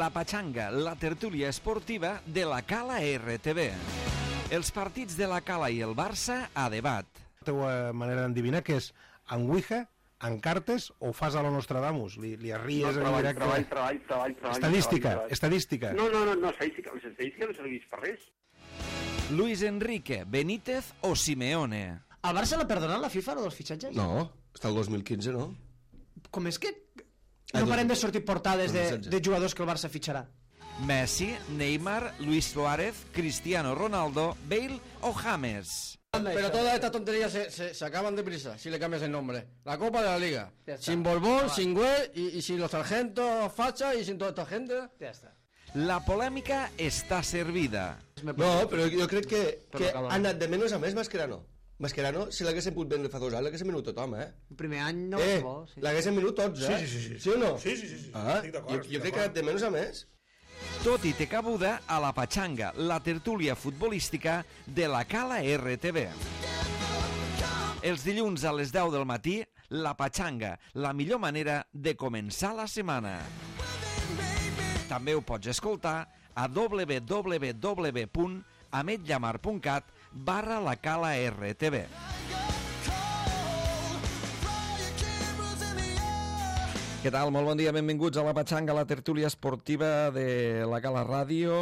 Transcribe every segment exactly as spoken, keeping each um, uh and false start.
La Pachanga, la tertúlia esportiva de la Cala R T V. Els partits de la Cala i el Barça a debat. La teva manera d'endevinar que és en Ouija, en cartes o fas a lo Nostradamus? Li, li arries no, en treball, directe? Treball, treball, treball, treball. Estadística, treball, treball. estadística. No, no, no, no, estadística, les estadístiques no serveix per res. Luis Enrique, Benítez o Simeone? Al Barça l'ha perdonat la FIFA, lo dels fitxatges? No, està el dos mil quinze, no? Com és que Ah, no dos- parem de sortir portades de, dos mil setze. de jugadors que el Barça fitxarà? Messi, Neymar, Luis Suárez, Cristiano Ronaldo, Bale o James? Pero todas estas tonterías se, se, se acaban deprisa si le cambias el nombre. La Copa de la Liga. Ya está. Sin Borbón, sin Güell y, y sin los sargentos facha y sin toda esta gente. Ja està. La polèmica està servida. No, però jo crec que, que Però ha anat de menys a més Mascherano. Mascherano, si l'haguessin pogut vendre fa dos anys, l'haguessin venut tothom, eh? El primer any no eh, és bo. Sí. l'haguessin venut tots, eh? Sí, sí, sí, sí. Sí o no? Sí, sí, sí, sí. Ah, Estic d'acord, jo, estic jo crec que ha anat de menys a més. Tot i té cabuda a la Pachanga, la tertúlia futbolística de la Cala R T V. Els dilluns a les deu del matí, la Pachanga, la millor manera de començar la setmana. També ho pots escoltar a w w w punt ametllamar punt cat barra la Cala R T V. Què tal? Molt bon dia, benvinguts a la Pachanga, la tertúlia esportiva de la Cala Ràdio.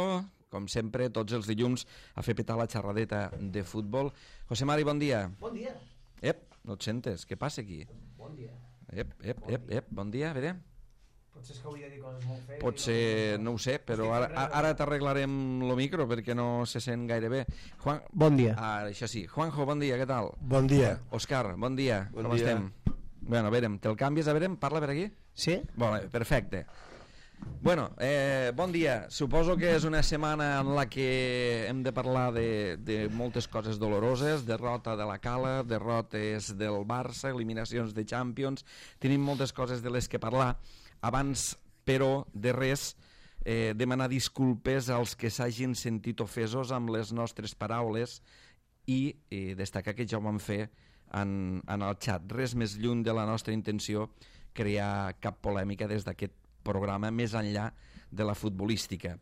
Com sempre, tots els dilluns a fer petar la xerradeta de futbol. José Mari, bon dia. Bon dia. Ep, no et sentes? Què passa aquí? Bon dia. Ep, ep, ep, ep, bon dia, a veure. Potser és que hauria de dir coses molt fees. Potser, no ho sé, però ara, ara t'arreglarem el micro perquè no se sent gaire bé. Juan... Bon dia. Ah, això sí. Juanjo, bon dia, què tal? Bon dia. Òscar, bon dia, Bon com dia. estem? Bueno, a veure, te'l canvies, a veure, parla per aquí? Sí? Bueno, perfecte. Bueno, eh, bon dia. Suposo que és una setmana en la que hem de parlar de, de moltes coses doloroses, derrota de la Cala, derrotes del Barça, eliminacions de Champions. Tenim moltes coses de les que parlar. Abans, però, de res, eh, demanar disculpes als que s'hagin sentit ofesos amb les nostres paraules i eh, destacar que ja ho vam fer en, en el xat. Res més lluny de la nostra intenció crear cap polèmica des d'aquest programa més enllà de la futbolística.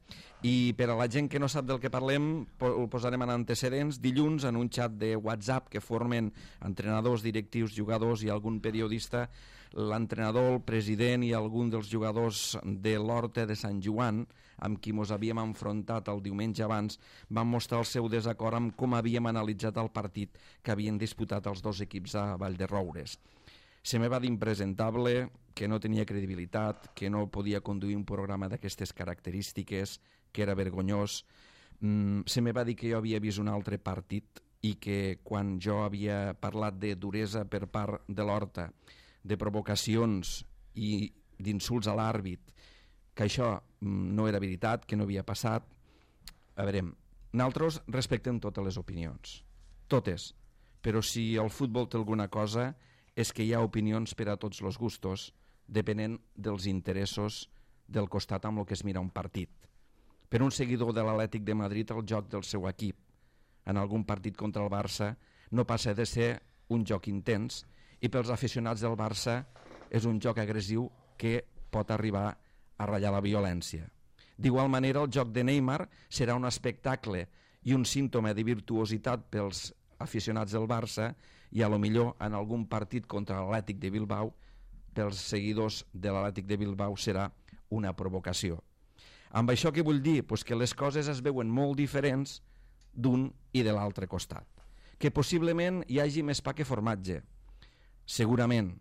I per a la gent que no sap del que parlem, ho posarem en antecedents. Dilluns, en un xat de WhatsApp que formen entrenadors, directius, jugadors i algun periodista, l'entrenador, el president i algun dels jugadors de l'Horta de Sant Joan, amb qui mos havíem enfrontat el diumenge abans, van mostrar el seu desacord amb com havíem analitzat el partit que havien disputat els dos equips a Vallderoures. Se me va dir impresentable, que no tenia credibilitat, que no podia conduir un programa d'aquestes característiques, que era vergonyós. Mm, se me va dir que jo havia vist un altre partit i que quan jo havia parlat de duresa per part de l'Horta, de provocacions i d'insults a l'àrbit, que això mm, no era veritat, que no havia passat. A veure, nosaltres respectem totes les opinions, totes, però si el futbol té alguna cosa és que hi ha opinions per a tots els gustos, depenent dels interessos del costat amb el que es mira un partit. Per un seguidor de l'Atlètic de Madrid, el joc del seu equip en algun partit contra el Barça no passa de ser un joc intens, i pels aficionats del Barça és un joc agressiu que pot arribar a ratllar la violència. D'igual manera, el joc de Neymar serà un espectacle i un símptoma de virtuositat pels aficionats del Barça, i a lo millor en algun partit contra l'Atlètic de Bilbao pels seguidors de l'Atlètic de Bilbao serà una provocació. Amb això què vull dir? Pues que les coses es veuen molt diferents d'un i de l'altre costat. Que possiblement hi hagi més pa que formatge, segurament.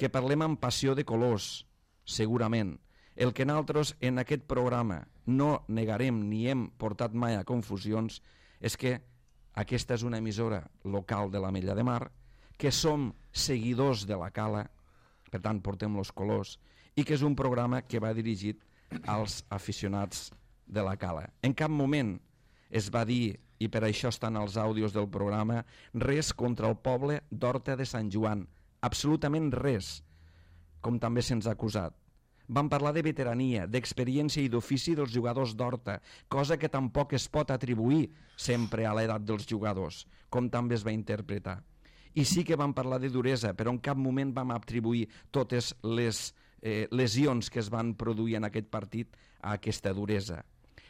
Que parlem amb passió de colors, segurament. El que nosaltres en aquest programa no negarem ni hem portat mai a confusions és que aquesta és una emissora local de l'Ametlla de Mar, que som seguidors de la Cala, per tant portem els colors, i que és un programa que va dirigit als aficionats de la Cala. En cap moment es va dir, i per això estan els àudios del programa, res contra el poble d'Horta de Sant Joan, absolutament res, com també se'ns ha acusat. Van parlar de veterania, d'experiència i d'ofici dels jugadors d'Horta, cosa que tampoc es pot atribuir sempre a l'edat dels jugadors, com també es va interpretar. I sí que van parlar de duresa, però en cap moment vam atribuir totes les eh, lesions que es van produir en aquest partit a aquesta duresa.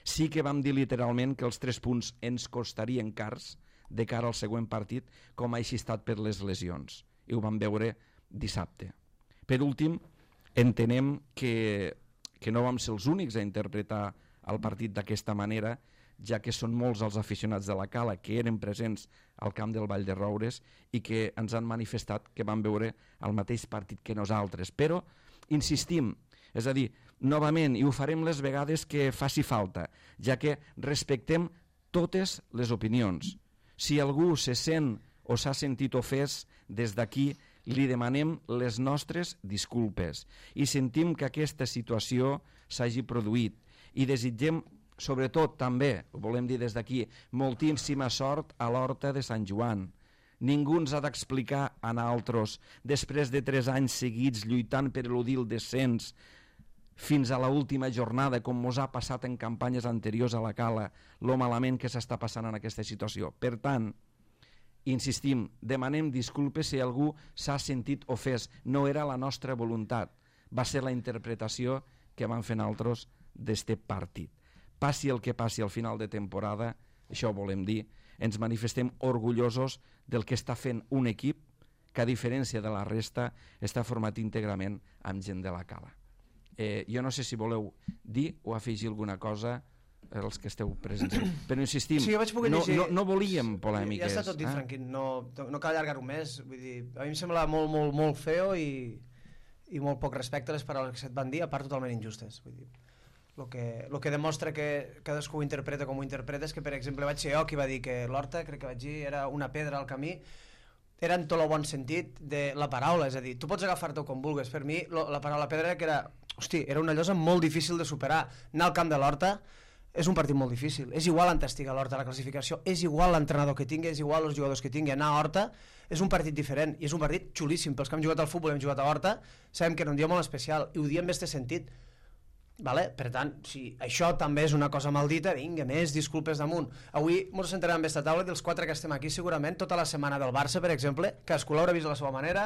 Sí que vam dir literalment que els tres punts ens costarien cars de cara al següent partit, com ha així estat per les lesions. I ho vam veure dissabte. Per últim, entenem que, que no vam ser els únics a interpretar el partit d'aquesta manera, ja que són molts els aficionats de la Cala que eren presents al camp del Vall de Roures i que ens han manifestat que van veure el mateix partit que nosaltres. Però insistim, és a dir, novament, i ho farem les vegades que faci falta, ja que respectem totes les opinions. Si algú se sent o s'ha sentit ofès, des d'aquí li demanem les nostres disculpes i sentim que aquesta situació s'hagi produït i desitgem, sobretot també, ho volem dir des d'aquí, moltíssima sort a l'Horta de Sant Joan. Ningú ens ha d'explicar a nosaltres, després de tres anys seguits lluitant per eludir el descens, fins a l'última jornada, com mos ha passat en campanyes anteriors a la Cala, lo malament que s'està passant en aquesta situació. Per tant, insistim, demanem disculpes si algú s'ha sentit ofès. No era la nostra voluntat, va ser la interpretació que vam fer nosaltres d'este partit. Passi el que passi al final de temporada, això ho volem dir, ens manifestem orgullosos del que està fent un equip que, a diferència de la resta, està format íntegrament amb gent de la Cala. Eh, jo no sé si voleu dir o afegir alguna cosa els que esteu presents, però insistim, sí, no, no, no volíem polèmiques. Ja està tot dit, eh? Franquín, no, no cal allargar-ho més. Vull dir, a mi em sembla molt, molt, molt feo i, i molt poc respecte a les paraules que se't van dir, a part totalment injustes. Vull dir, el que, lo que demostra que cadascú ho interpreta com ho interpreta és que, per exemple, vaig ser jo qui va dir que l'Horta, crec que vaig dir, era una pedra al camí. Era en tot el bon sentit de la paraula, és a dir, tu pots agafar-te com vulguis. Per mi, lo, la paraula pedra era que era, hosti, era una llosa molt difícil de superar. Anar al camp de l'Horta és un partit molt difícil. És igual on estigui l'Horta a la classificació, és igual l'entrenador que tingui, és igual els jugadors que tingui. Anar a Horta és un partit diferent i és un partit xulíssim. Pels que hem jugat al futbol i hem jugat a Horta, sabem que era un dia molt especial i ho diem en aquest sentit. Vale? Per tant, si això també és una cosa maldita, vinga, més disculpes damunt. Avui ens sentarem amb aquesta taula dels quatre que estem aquí, segurament tota la setmana del Barça, per exemple, cadascú l'haurà vist de la seva manera,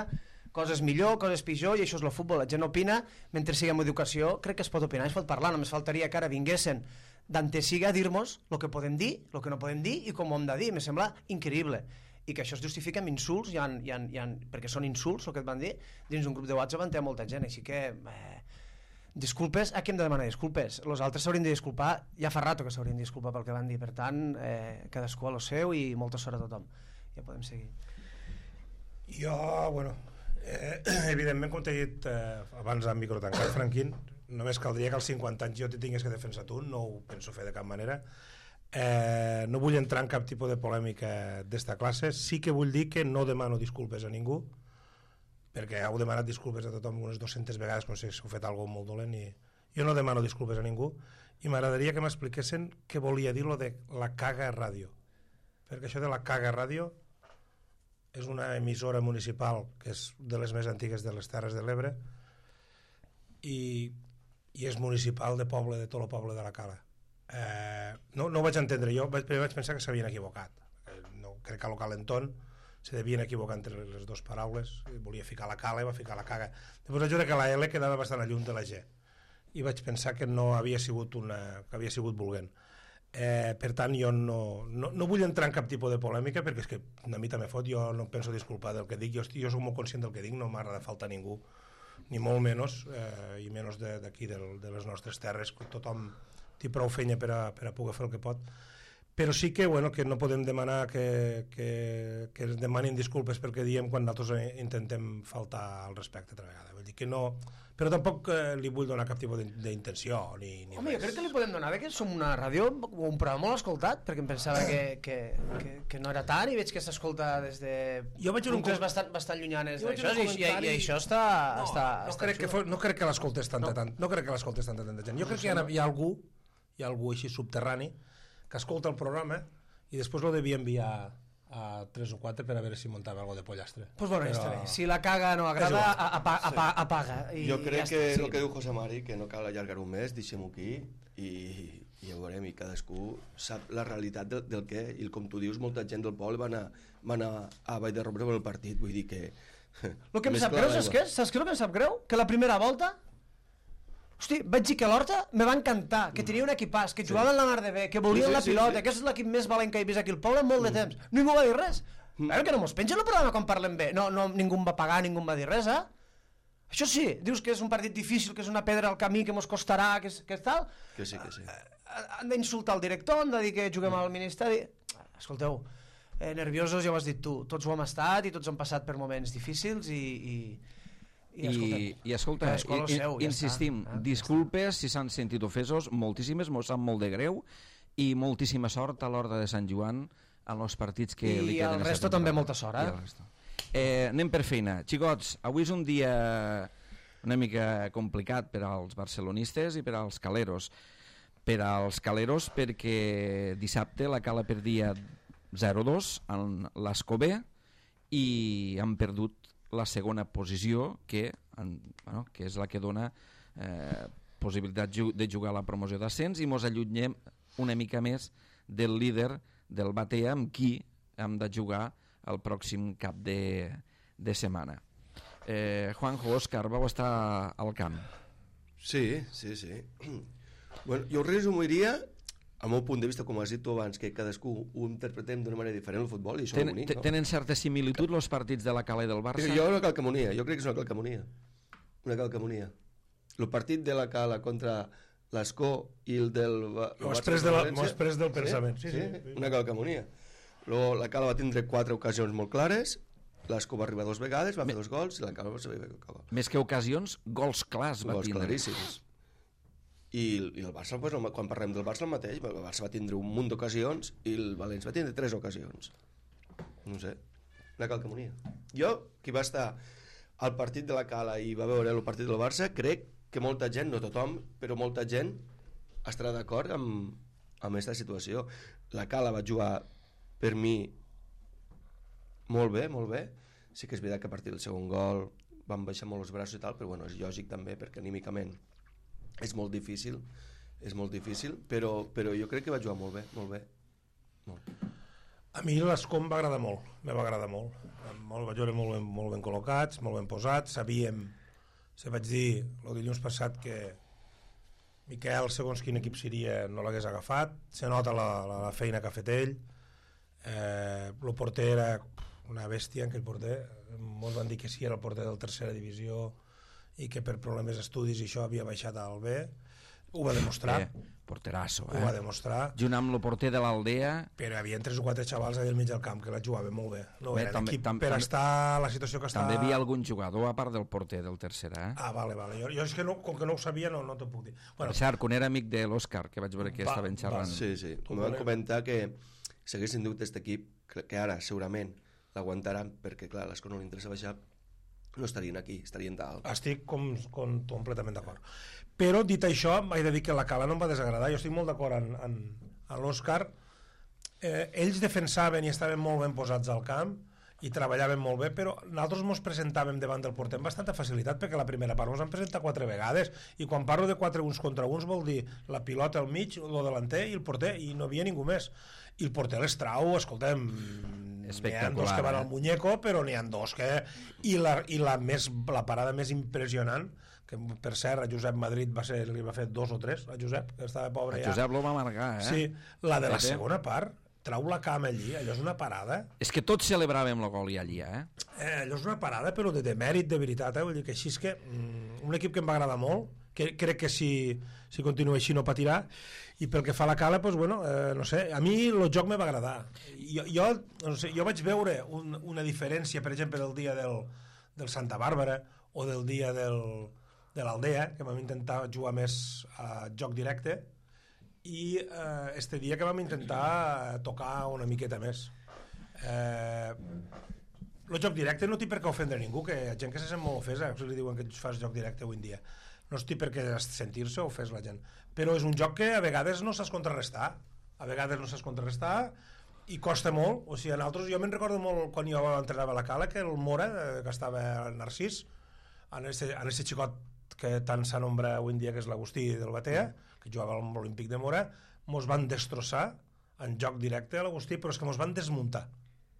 coses millor, coses pitjor, i això és el futbol. La gent opina, mentre siguem educació, crec que es pot opinar, es pot parlar, només faltaria que ara vinguessin d'antesiga a dir-nos el que podem dir, el que no podem dir i com ho hem de dir. Me sembla increïble. I que això es justifica amb insults, hi ha, hi ha, hi ha, perquè són insults el que et van dir, dins un grup de WhatsApp en té molta gent, així que... Eh, disculpes, a qui hem de demanar disculpes? Els altres s'haurien de disculpar, ja fa rato que s'haurien de disculpar pel que van dir, per tant, eh, cadascú a lo seu i molta sort a tothom. Ja podem seguir. Jo, bueno, eh, evidentment, com t'he dit eh, abans amb micro tancat, Franquín, només caldria que als cinquanta anys jo t'hi tingués que defensar tu, no ho penso fer de cap manera. Eh, no vull entrar en cap tipus de polèmica d'esta classe, sí que vull dir que no demano disculpes a ningú, perquè heu demanat disculpes a tothom unes dues-centes vegades, no sé si heu fet alguna cosa molt dolent, i jo no demano disculpes a ningú, i m'agradaria que m'expliquessin què volia dir lo de la Caga Ràdio, perquè això de la Caga Ràdio és una emissora municipal que és de les més antigues de les Terres de l'Ebre i, i és municipal de poble, de tot el poble de la Cala. Eh, no, no ho vaig entendre jo, vaig, vaig pensar que s'havien equivocat. Eh, no, crec que a lo Calentón se devien equivocar entre les dues paraules, volia ficar la Cala i va ficar la Caga. Després vaig veure que la L quedava bastant a lluny de la G i vaig pensar que no havia sigut una, que havia sigut volent. Eh, per tant, jo no, no, no vull entrar en cap tipus de polèmica perquè és que a mi també fot, jo no em penso disculpar del que dic, jo, jo soc molt conscient del que dic, no m'agrada faltar a ningú, ni molt menys, eh, i menys d'aquí, de, de les nostres terres, tothom té prou feina per a, per a poder fer el que pot. Però sí que, bueno, que no podem demanar que, que, que ens demanin disculpes perquè diem quan nosaltres intentem faltar al respecte altra vegada. Vull dir que no... Però tampoc eh, li vull donar cap tipus d'intenció ni, ni Home, res. jo crec que li podem donar, que som una ràdio, un programa molt escoltat, perquè em pensava que, que, que, que no era tant, i veig que s'escolta des de jo vaig un puntes bastant, bastant llunyanes d'això, i, i, i això està... No, està, no, està crec que fos, no crec que l'escoltés tanta, no. tant, no crec que l'escoltés tanta, tanta gent. Jo crec que hi ha, hi ha algú, hi ha algú així subterrani que escolta el programa i després lo devia enviar a tres o quatre per a veure si muntava algo de pollastre. Pues bueno, Però... està bé. Si la caga no agrada, apa, apa, sí. apaga. I jo crec ja que sí. el que diu José Mari, que no cal allargar-ho més, deixem-ho aquí i, i ja ho veurem, i cadascú sap la realitat del, del que, i com tu dius, molta gent del poble va anar, va anar a Vall de Roure per el partit, vull dir que... El que em sap greu, saps què? Saps què el que em sap greu? Que la primera volta Hosti, vaig dir que l'Horta me va encantar, que tenia un equipàs, que jugaven la mar de bé, que volien Sí, sí, la sí, pilota, sí. que és l'equip més valent que he vist aquí al poble en molt de temps. Ningú va dir res. Veure que no mos pengen el programa quan parlem bé. No, no, ningú em va pagar, ningú em va dir res, eh? Això sí, dius que és un partit difícil, que és una pedra al camí, que mos costarà, que és, que és tal. Que sí, que sí. Han d'insultar el director, han de dir que juguem al Ministeri. Escolteu, eh, nerviosos ja ho has dit tu, tots ho hem estat i tots hem passat per moments difícils i... i I, i escolta, cadascú al i, seu, ja insistim, està, eh? disculpes si s'han sentit ofesos, moltíssimes, mos sap molt de greu, i moltíssima sort a l'Horta de Sant Joan en els partits que I li queden. al aquesta resto també temporada. molta sort, eh? I al resto. Eh, anem per feina. Xicots, avui és un dia una mica complicat per als barcelonistes i per als caleros. Per als caleros perquè dissabte la Cala perdia zero dos en l'Escobé i han perdut la segona posició que, en, bueno, que és la que dona eh, possibilitat ju de jugar a la promoció d'ascens i mos allunyem una mica més del líder del Batea amb qui hem de jugar el pròxim cap de, de setmana. eh, Juanjo, Òscar, vau estar al camp. Sí, sí, sí. Bueno, jo ho resumiria al meu punt de vista, com has dit tu abans, que cadascú ho interpretem d'una manera diferent al futbol, i això Ten, és bonic, no? Tenen certa similitud els partits de la Cala i del Barça? Jo una calcamonia, jo crec que és una calcamonia. Una calcamonia. El partit de la Cala contra l'Escó i el del... M'ho has pres, de la, m'ho has pres del pensament. Sí, sí, sí, una calcamonia. Luego, la Cala va tindre quatre ocasions molt clares, l'Escó va arribar dos vegades, va fer dos gols, i la Cala va saber acabar. Més que ocasions, gols clars va Gols tindre. claríssims. I, i el Barça, pues, quan parlem del Barça el mateix, el Barça va tindre un munt d'ocasions i el València va tindre tres ocasions. No sé, una calcamonia. Jo, qui va estar al partit de la Cala i va veure el partit del Barça, crec que molta gent, no tothom, però molta gent estarà d'acord amb, amb aquesta situació. La Cala va jugar per mi molt bé, molt bé. Sí que és veritat que a partir del segon gol van baixar molt els braços i tal, però bueno, és lògic també perquè anímicament és molt difícil, és molt difícil, però, però jo crec que va jugar molt bé, molt bé. Molt. A mi l'Escó em va agradar molt, me va agradar molt. molt vaig veure molt ben, molt ben col·locats, molt ben posats, sabíem, se vaig dir el dilluns passat que Miquel, segons quin equip seria, no l'hagués agafat, se nota la, la, la feina que ha fet ell, eh, el porter era una bèstia, aquell porter, molts van dir que sí, era el porter del tercera divisió, i que per problemes d'estudis i això havia baixat al B, ho va demostrar, Eh, porterasso, ho va eh? demostrar, Junt amb el porter de l'Aldea, però hi havia tres o quatre xavals allà al mig del camp que la jugaven molt bé, no Bé, era també- l'equip tam- per tam- estar a la situació que està... també hi havia algun jugador a part del porter del tercera, eh? Ah, vale, vale, jo, jo és que no, com que no ho sabia no, no t'ho puc dir. Bueno, Bueno, cert, que era amic de l'Òscar, que vaig veure que Va, estaven xerrant. va. Sí, sí, Tu em van vale. comentar que si haguessin dut aquest equip, que, que ara segurament l'aguantaran, perquè clar, a l'Escó no li interessa baixar, no estarien aquí, estarien dalt. estic com, com completament d'acord. Però, dit això, m'he de dir que la Cala no em va desagradar. Jo estic molt d'acord en, en, en l'Òscar. Eh, ells defensaven i estaven molt ben posats al camp i treballaven molt bé, però nosaltres ens presentàvem davant del porter amb bastanta facilitat, perquè la primera part ens han presentat quatre vegades, i quan parlo de quatre uns contra uns vol dir la pilota al mig, el delanter i el porter, i no havia ningú més. I el porter les trau, escoltem, n'hi ha dos que van eh? al muñeco, però n'hi ha dos que... I la, i la, més, la parada més impressionant, que per cert a Josep Madrid va ser, li va fer dos o tres, a Josep, que estava pobre A ja. Josep lo va marcar, eh? Sí, la de la Pepe. segona part, trau la cama allí, allò és una parada, És que tots celebràvem el gol i allí, eh? eh, allò és una parada però de, de mèrit, de veritat, eh? Vull dir que així és que mm, un equip que em va agradar molt, que crec que si, si continua així no patirà, i pel que fa a la Cala, doncs, bueno, eh, no sé, a mi el joc me va agradar. Jo, jo, no sé, jo vaig veure un, una diferència, per exemple, del dia del, del Santa Bàrbara o del dia del, de l'Aldea, que vam intentar jugar més a joc directe, i eh, este dia que vam intentar tocar una miqueta més. Eh, el joc directe no té per què ofendre ningú, que hi ha gent que se sent molt ofesa si li diuen que fas joc directe avui en dia. No es té per què sentir-se ofès la gent, però és un joc que a vegades no saps contrarrestar, a vegades no saps contrarrestar i costa molt. O sigui, en altres, jo me'n recordo molt quan jo entrenava a la Cala, que el Mora, eh, que estava al Narcís, en aquest en este xicot que tant s'anombra avui en dia, que és l'Agustí del Batea, que jugava al Olímpic de Mora, mos van destrossar en joc directe a l'Agustí, però és que mos van desmuntar.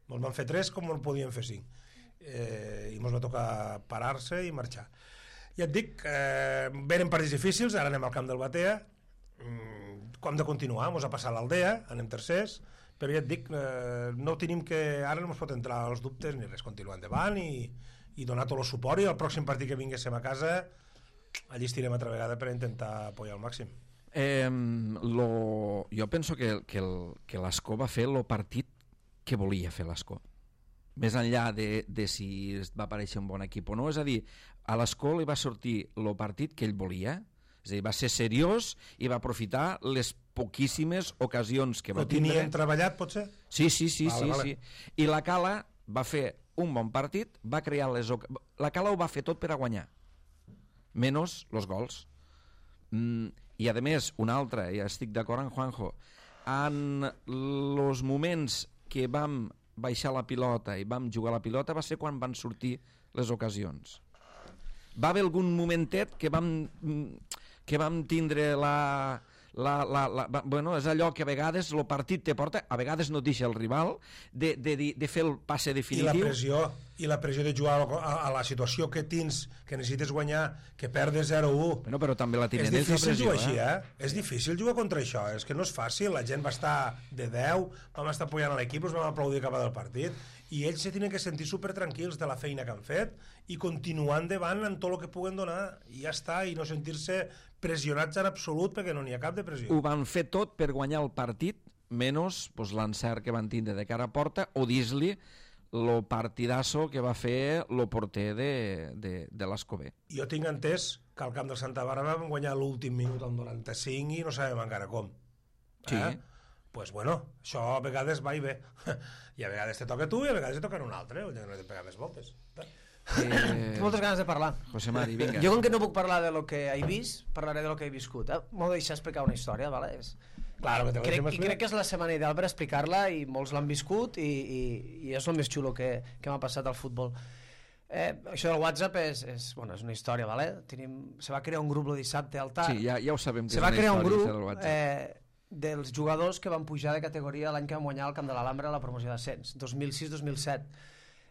Mos van fer tres com en podien fer cinc. Eh, I mos va tocar parar-se i marxar. ja et dic, eh, venen partits difícils, ara anem al camp del Batea, mm, com de continuar, mos ha passat l'Aldea, anem tercers, però ja et dic, eh, no tenim que, ara no ens pot entrar els dubtes ni res, continuar endavant i, i donar tot el suport, i el pròxim partit que vinguéssim a casa allí estirem altra vegada per intentar apoyar al màxim. Eh, lo, jo penso que, que, el, que l'Escó va fer el partit que volia fer l'Escó, més enllà de, de si va aparèixer un bon equip o no, és a dir, a l'Escó li va sortir el partit que ell volia, és a dir, va ser seriós i va aprofitar les poquíssimes ocasions que va Ho tindre. tenien treballat, potser? Sí, sí, sí, Vale, sí, vale. sí. I la Cala va fer un bon partit, va crear les oc... la Cala ho va fer tot per a guanyar, menys els gols. Mm, I a més, una altra, ja estic d'acord amb Juanjo, en els moments que vam baixar la pilota i vam jugar la pilota va ser quan van sortir les ocasions. Va haver algun momentet que vam, que vam tindre la... La, la, la, bueno, és allò que a vegades el partit te porta, a vegades no et deixa el rival de, de, de fer el passe definitiu. I la pressió, i la pressió de jugar a, a la situació que tens, que necessites guanyar, que perdes zero a u. Bueno, però també la tenen És ells, la difícil pressió, jugar així, eh? eh? És difícil jugar contra això, és que no és fàcil, la gent va estar de deu, vam estar apoyant a l'equip, us vam aplaudir cap del partit, i ells se tenen que sentir super tranquils de la feina que han fet i continuar endavant en tot el que puguen donar, i ja està, i no sentir-se pressionats en absolut, perquè no n'hi ha cap de pressió. Ho van fer tot per guanyar el partit, menys pues, l'encert que van tindre de cara a porta, o dir-li el partidasso que va fer el porter de, de, de l'Escobé. Jo tinc entès que al camp del Santa Bàrbara vam guanyar l'últim minut al noranta-cinc i no sabem encara com. Sí. Eh? Pues bueno, això a vegades va i ve. I a vegades te toca a tu i a vegades te toca a un altre, o no he de pegar més voltes. Eh, Tinc moltes ganes de parlar. José Mari, vinga. Jo, com que no puc parlar de lo que he vist, parlaré de lo que he viscut. Eh? M'ho deixar explicar una història, ¿vale? És... Claro que te crec, lo I crec que és la setmana ideal per explicar-la i molts l'han viscut i, i, i és el més xulo que, que m'ha passat al futbol. Eh, això del WhatsApp és, és, bueno, és una història, ¿vale? Tenim, se va crear un grup el dissabte al tard. Sí, ja, ja ho sabem que Se és va una crear un història, grup això del WhatsApp. eh, dels jugadors que van pujar de categoria l'any que van guanyar el Camp de l'Alhambra a la promoció d'ascens, dos mil sis dos mil set.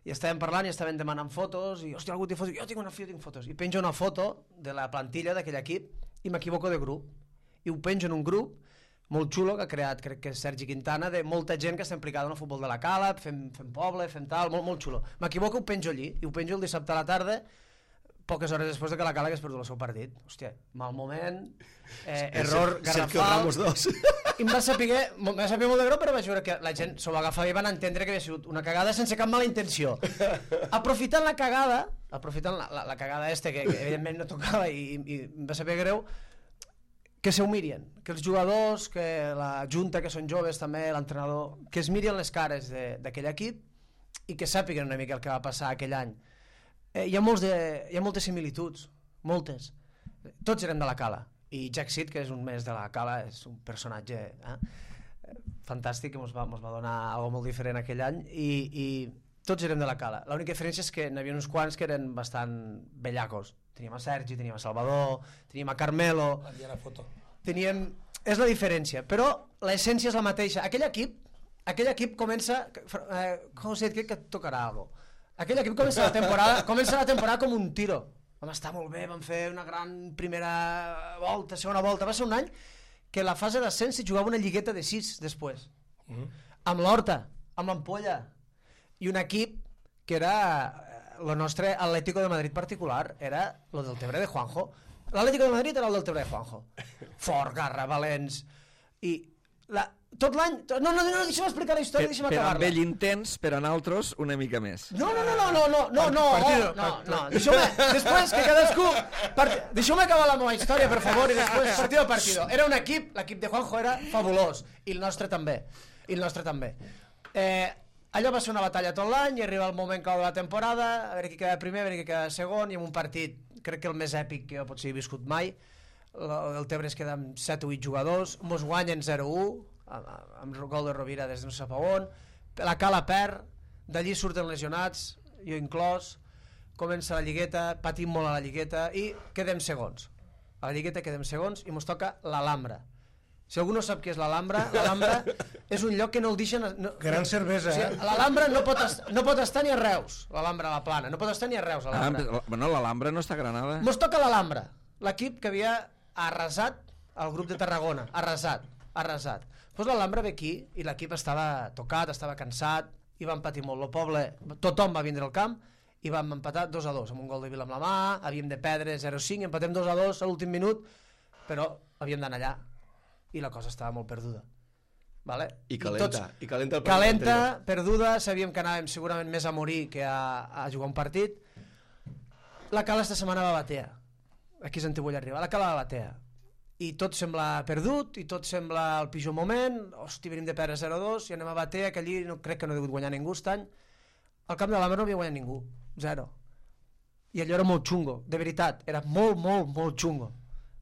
I estàvem parlant i estàvem demanant fotos i, hòstia, algú té fotos? Jo tinc una, jo tinc fotos. I penjo una foto de la plantilla d'aquell equip i m'equivoco de grup. I ho penjo en un grup molt xulo que ha creat, crec que és Sergi Quintana, de molta gent que està implicada en el futbol de la Cala, fem, fem poble, fem tal, molt, molt xulo. M'equivoco, ho penjo allí, i ho penjo el dissabte a la tarda, poques hores després de que la Cala hagués perdut el seu partit. Hòstia, mal moment, eh, error Sergio garrafal... Ramos dos. I em va saber, em va saber molt de greu, però vaig veure que la gent s'ho va agafar i van entendre que havia sigut una cagada sense cap mala intenció. Aprofitant la cagada, aprofitant la, la, la cagada este, que, que evidentment no tocava i, i em va saber greu, que se ho miren, que els jugadors, que la junta, que són joves també, l'entrenador, que es miren les cares d'aquell equip i que sàpiguen una mica el que va passar aquell any. Eh, hi, ha molts de, hi ha moltes similituds, moltes. Tots eren de la Cala. I Jack Sid, que és un mes de la Cala, és un personatge eh? fantàstic, que ens va, mos va donar algo molt diferent aquell any, i, i tots érem de la Cala. L'única diferència és que n'hi havia uns quants que eren bastant bellacos. Teníem a Sergi, teníem a Salvador, teníem a Carmelo... Allà la foto. Teníem... És la diferència, però l'essència és la mateixa. Aquell equip, aquell equip comença... Eh, José, crec que et tocarà alguna cosa. Aquell equip comença la temporada, comença la temporada com un tiro. Vam estar molt bé, vam fer una gran primera volta, segona volta. Va ser un any que la fase d'ascens s'hi jugava una lligueta de sis després. Mm. Amb l'Horta, amb l'Ampolla. I un equip que era el nostre Atlético de Madrid particular, era el del Tebre de Juanjo. L'Atlético de Madrid era el del Tebre de Juanjo. Fort, garra, valents. I la, tot l'any... No, no, no, deixa'm explicar la història, deixa'm per acabar-la. amb ell intens, per a nosaltres una mica més. No, no, no, no, no, no, no, no, Partido, no, no, deixeu-me, després que cadascú... Part... Deixeu-me acabar la meva història, per favor, i després partido a partido. Era un equip, l'equip de Juanjo era fabulós, i el nostre també, i el nostre també. Eh, allò va ser una batalla tot l'any, i arriba el moment clau de la temporada, a veure qui queda primer, a veure qui queda segon, i en un partit, crec que el més èpic que jo potser he viscut mai, el Tebre es queda amb set o vuit jugadors, mos guanyen zero a u, amb gol de Rovira des de no sé on, la Cala perd, d'allí surten lesionats, jo inclòs, comença la lligueta, patim molt a la lligueta i quedem segons. A la lligueta quedem segons i mos toca l'Alhambra. Si algú no sap què és l'Alhambra, l'Alhambra és un lloc que no el deixen... No, Gran cervesa, o sigui, eh? L'Alhambra no, pot est, no pot estar ni a Reus, l'Alhambra a la Plana, no pot estar ni a Reus, l'Alhambra. Ah, bueno, l'Alhambra no està a Granada. Mos toca l'Alhambra, l'equip que havia arrasat el grup de Tarragona, arrasat, arrasat. Doncs l'Alhambra ve aquí i l'equip estava tocat, estava cansat, i van patir molt. El poble, tothom va vindre al camp i vam empatar dos a dos, amb un gol de Vila amb la mà, havíem de perdre zero cinc, empatem dos a dos a l'últim minut, però havíem d'anar allà. I la cosa estava molt perduda, vale? I calenta, tots, i calenta el partit calenta, anterior. perduda, sabíem que anàvem segurament més a morir que a, a jugar un partit. La Cala esta setmana va a Batea, aquí és on vull arribar, la Cala va a Batea, i tot sembla perdut, i tot sembla el pitjor moment, hosti, venim de perdre zero a dos, i anem a Batea, que allí no, crec que no ha degut guanyar ningú aquest any. Al camp de l'Alhambra no havia guanyat ningú, zero, i allò era molt xungo, de veritat, era molt, molt, molt xungo.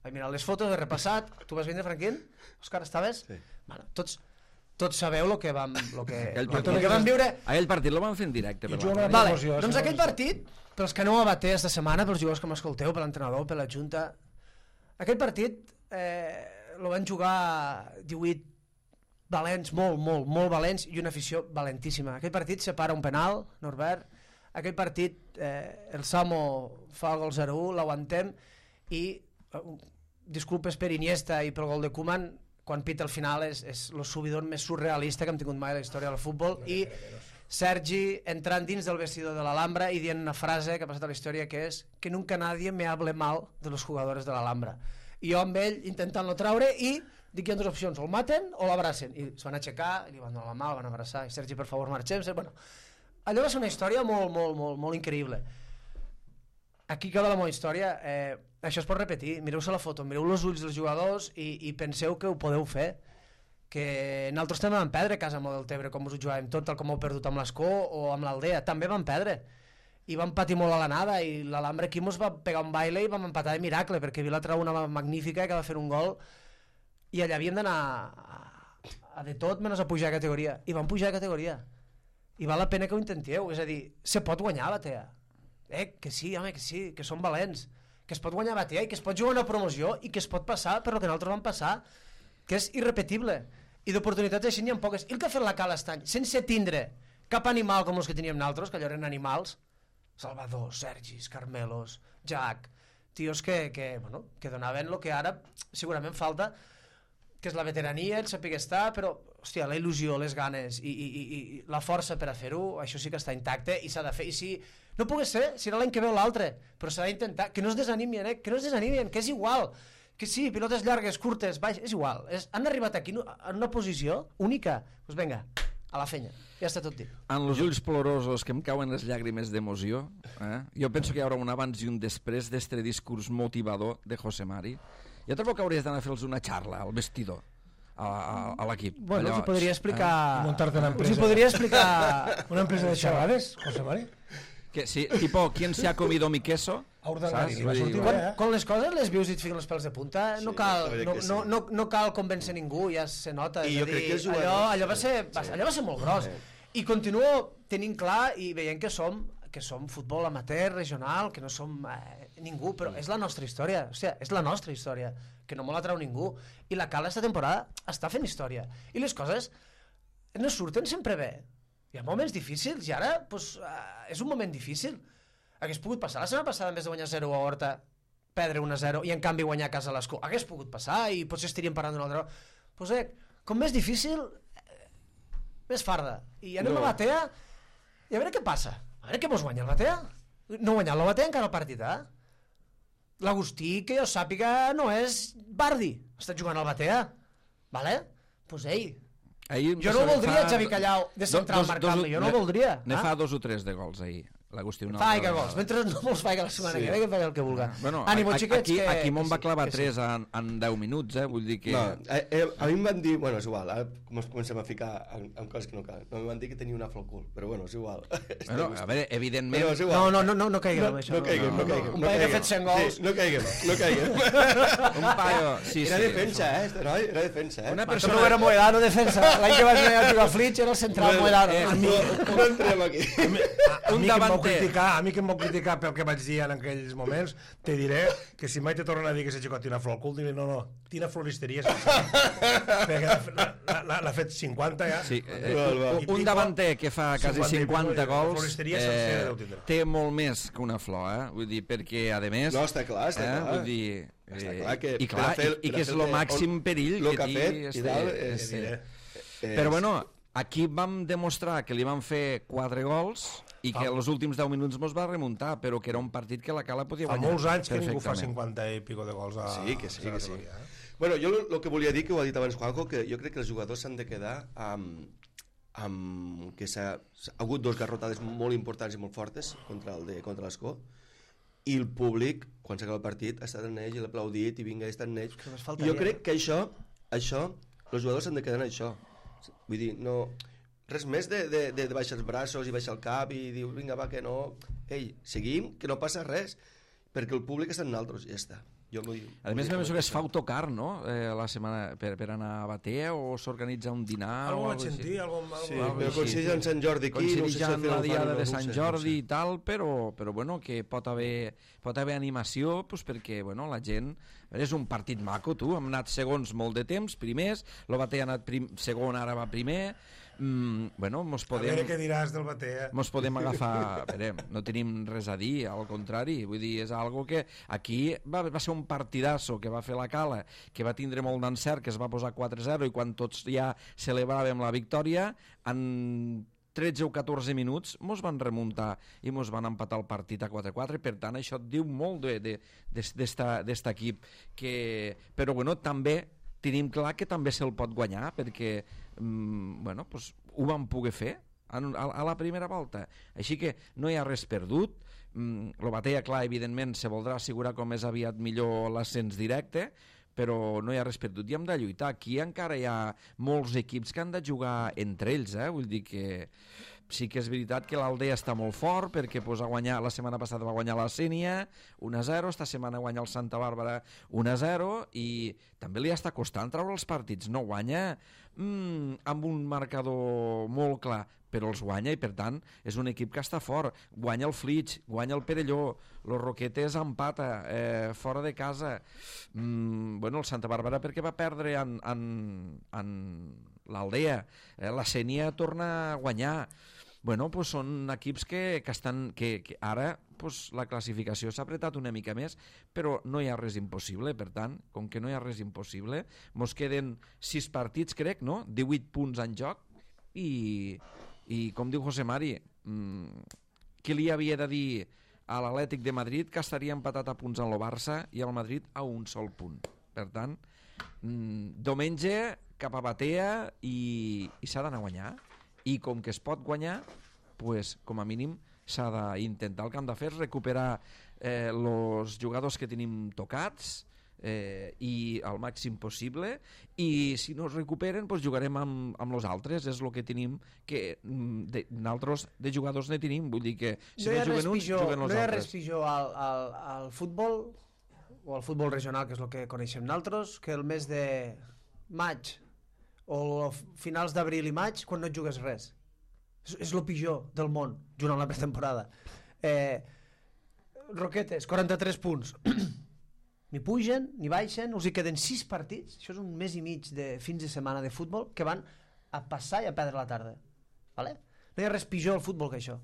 Vaig mirar les fotos, he repassat. Tu vas vindre, Franquín? Òscar, estaves? Sí. Bueno, tots, tots sabeu el que vam, lo que, Aquell lo, partit- lo que vam viure. Aquell partit lo van fer en directe. I per jugava la amb ràdio. Vale, emoció, doncs si aquell no- partit, pels que no ho abaté esta setmana, pels jugadors que m'escolteu, per l'entrenador, per la junta, aquell partit eh, lo van jugar divuit valents, molt, molt, molt valents, i una afició valentíssima. Aquell partit separa un penal, Norbert, aquell partit eh, el Samo fa el gol zero a u, l'aguantem, i eh, disculpes per Iniesta i pel gol de Koeman, quan pita al final és, és el subidor més surrealista que hem tingut mai a la història del futbol, i Sergi entrant dins del vestidor de l'Alhambra i dient una frase que ha passat a la història, que és que nunca nadie me hable mal de los jugadores de l'Alhambra, i jo amb ell intentant-lo traure, i dic que hi ha dues opcions, o el maten o l'abracen, i es van aixecar, li van donar la mà, el van abraçar, i Sergi, per favor, marxem. Bueno, allò va ser una història molt, molt, molt, molt increïble. Aquí acaba la meva història. eh, això es pot repetir, mireu-se la foto, mireu els ulls dels jugadors i, i penseu que ho podeu fer, que nosaltres també vam perdre a casa amb el Deltebre, com us ho jugàvem tot, tal com heu perdut amb l'Escó o amb l'Aldea, també vam perdre i vam patir molt a l'anada, i l'Alhambra aquí mos va pegar un baile i vam empatar de miracle, perquè Vila trau una magnífica que va fer un gol, i allà havíem d'anar a, a de tot menys a pujar de categoria, i vam pujar de categoria, i val la pena que ho intentéu, és a dir, se pot guanyar a Batea, eh, que sí, home, que sí, que som valents, que es pot guanyar a Batea i que es pot jugar una promoció i que es pot passar per lo que nosaltres vam passar, que és irrepetible, i d'oportunitats així n'hi ha poques. I el que ha fet la Cala aquest any, sense tindre cap animal com els que teníem nosaltres, que allò eren animals, Salvador, Sergis, Carmelos, Jack, tios que, que, bueno, que donaven el que ara segurament falta, que és la veterania, el saber estar, però hòstia, la il·lusió, les ganes i, i, i, i la força per a fer-ho, això sí que està intacte i s'ha de fer, i si no pogués ser, serà l'any que ve o l'altre, però s'ha d'intentar, que no es desanimin, eh? que no es desanimin, que és igual, que sí, pilotes llargues, curtes, baix, és igual, és, han arribat aquí en una posició única, doncs pues vinga, a la fenya, ja està tot dit. En els ulls plorosos que em cauen les llàgrimes d'emoció, eh? jo penso que hi haurà un abans i un després d'este discurs motivador de José Mari. Jo trobo que hauries d'anar a fer-los una xarra al vestidor, a, a, a l'equip. Bueno, Allò, us hi podria explicar... Eh? Muntar-te una empresa. Us hi podria explicar... Una empresa de xerrades, José Mari? Que, sí, tipo, ¿quién se ha comido mi queso? A Urdangarí, Saps? va Vull dir, sortir Quan, bé, eh? quan les coses les vius i et fiquen els pèls de punta, no, Sí, cal, la veritat no, que sí. no, no, no cal convèncer ningú, ja se nota. I és jo a crec dir, que els jugadors- allò, allò, va ser, va, Sí. allò va ser molt gros. I continuo tenint clar i veient que som, que som futbol amateur, regional, que no som eh, ningú, però és la nostra història, o sigui, és la nostra història, que no me la trau ningú. I la Cala esta temporada està fent història. I les coses no surten sempre bé. Hi ha moments difícils i ara pues, eh, és un moment difícil. Hagués pogut passar la setmana passada, en vez de guanyar zero a Horta, perdre un a zero i en canvi guanyar a casa a l'Escó. Hagués pogut passar i potser estaríem parlant d'una altra. Pues, eh, com més difícil, eh, més farda. I anem No. a Batea i a veure què passa. A veure què mos guanya el Batea. No guanyar el Batea encara el partit, eh? L'Agustí, que jo sàpiga, no és Bardi. Està jugant al Batea. Vale? Pues ei, Ahir, jo no fa- voldria fa Xavi Callau de central dos- dos- marcant-li, jo no ne- voldria. Ne ah? fa dos o tres de gols ahir, l'Agustí. una Fa altra que gols, vegada. mentre no me'ls faig la setmana Sí. que ve, que faig el que vulga. Bueno, Ànimo, a- xiquets, aquí, que... aquí me'n que va sí, clavar que sí. tres en, en deu minuts, eh? Vull dir que... No, eh, eh, a mi em van dir, bueno, és igual, ara com ens comencem a ficar en, en coses que no calen. No, em van dir que tenia una flor al cul, però bueno, és igual. Bueno, a veure, evidentment... Però és igual. No, no, no, no, no caiguem No, en això. no caiguem, no caiguem. Un no paio que ha caiguem. fet cent gols. Sí, no caiguem, no caiguem. Un paio... Sí, Era sí, defensa, eh, este noi, era defensa, eh. Una Però persona... no era Moedano defensa. L'any que vaig anar a jugar a Flitch era el central Moedano. Eh, no, no entrem aquí. Un, davanter, criticar, a mi que em vol criticar pel que vaig dir en aquells moments, te diré que si mai te tornen a dir que ese xicot tira flor al cul, diré, no, no, tira floristeria perquè l'ha fet cinquanta ja. Sí, eh, un davanter que fa quasi cinquanta gols eh, té molt més que una flor, eh? Vull dir, perquè a més... No, està clar, està eh? clar. Vull dir, està clar que... I, clar, fer, i, i que és el màxim perill lo que, que ha fet, este, i dalt, este. és, Però bueno, aquí vam demostrar que li van fer quatre gols i que als últims deu minuts mos va remuntar, però que era un partit que la Cala podia Fa guanyar. molts anys que ningú fa cinquanta i pico de gols a... Sí, que sí, que sí. Eh? Bueno, jo el que volia dir, que ho ha dit abans Juanjo, que jo crec que els jugadors s'han de quedar amb, amb que s'ha ha hagut dos garrotades molt importants i molt fortes contra el de contra l'Escó, i el públic, quan s'acaba el partit, ha estat en ells i l'ha aplaudit i vinga, ha estat en ells. Jo crec que això, això, els jugadors s'han de quedar en això. Vull dir, no... Res més de, de, de, de baixar els braços i baixar el cap i dir, vinga, va, que no... Ei, seguim, que no passa res, perquè el públic està en nosaltres, ja està. Jo vull, a més, me penso que es fa autocar, no? Eh, la setmana per, per anar a Batea o s'organitza un dinar algo o vaig sentir, algo, algo, sí, algo però coincideix en Sant Jordi aquí, no sé si en la diada de no Sant sé, Jordi no sé. i tal, però, però bueno, que pot haver, pot haver animació, pues, perquè bueno, la gent... És un partit maco, tu, hem anat segons molt de temps, primers, el Batea ha anat prim, segon, ara va primer... Mm, bueno, mos podem... A veure què diràs del Batea. Mos podem agafar... Veure, no tenim res a dir, al contrari. Vull dir, és algo que... Aquí va, va ser un partidasso que va fer la Cala, que va tindre molt d'encert, que es va posar quatre zero, i quan tots ja celebràvem la victòria, en tretze o catorze minuts mos van remuntar i mos van empatar el partit a quatre quatre, per tant això et diu molt d'aquest equip. Que... Però bueno, també tenim clar que també se'l pot guanyar, perquè mm, bueno, pues, ho vam poder fer a, a, a la primera volta. Així que no hi ha res perdut. Mm, el Batea, clar, evidentment, se voldrà assegurar com més aviat millor l'ascens directe, però no hi ha res perdut i hem de lluitar. Aquí encara hi ha molts equips que han de jugar entre ells, eh? Vull dir que sí que és veritat que l'Aldea està molt fort perquè pues, ha guanyat, la setmana passada va guanyar la Sénia un a zero, esta setmana guanya el Santa Bàrbara un a zero i també li està costant treure els partits, no guanya mm, amb un marcador molt clar, però els guanya i per tant és un equip que està fort, guanya el Flix, guanya el Perelló, los Roquetes empata eh, fora de casa, mm, bueno, el Santa Bàrbara perquè va perdre en, en, en l'Aldea, eh, la Sénia torna a guanyar. Bueno, pues són equips que, que estan que, que ara pues, la classificació s'ha apretat una mica més, però no hi ha res impossible. Per tant, com que no hi ha res impossible, mos queden sis partits, crec, no? divuit punts en joc i, i com diu José Mari, mmm, qui li havia de dir a l'Atlètic de Madrid que estaria empatat a punts en el Barça i al Madrid a un sol punt. Per tant, mmm, diumenge cap a Batea i, i s'ha d'anar a guanyar. I com que es pot guanyar, pues, com a mínim s'ha d'intentar. El que hem de fer és recuperar eh, els jugadors que tenim tocats eh, i al màxim possible, i si no es recuperen pues, jugarem amb, amb els altres. És el que tenim, que de, nosaltres de jugadors ne tenim, vull dir que si no, no juguen uns, pitjor, juguen els no hi ha altres. res pitjor al, al, al futbol o al futbol regional, que és el que coneixem nosaltres, que el mes de maig o finals d'abril i maig, quan no jugues res. És, és el pitjor del món, junt amb la pretemporada. Eh, Roquetes, quaranta-tres punts. Ni pugen, ni baixen, us hi queden sis partits, això és un mes i mig de fins de setmana de futbol, que van a passar i a perdre la tarda. Vale? No hi ha res pitjor al futbol que això.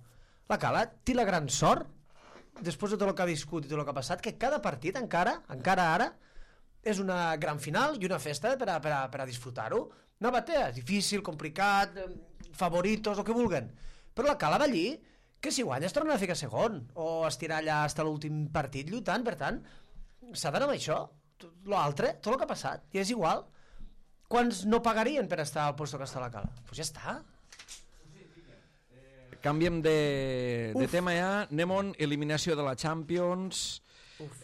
La Cala té la gran sort, després de tot el que ha viscut i tot el que ha passat, que cada partit encara, encara ara, és una gran final i una festa per a, per a, per a disfrutar-ho. Una Batea, difícil, complicat, favoritos, el que vulguen. Però la Cala va allí, que si guanya es torna a ficar segon, o estirar allà fins a l'últim partit lluitant, per tant, s'ha d'anar amb això. L'altre, tot el que ha passat, i és igual. Quants no pagarien per estar al lloc que està la Cala? Doncs pues ja està. Canviem de, de tema ja, anem on eliminació de la Champions,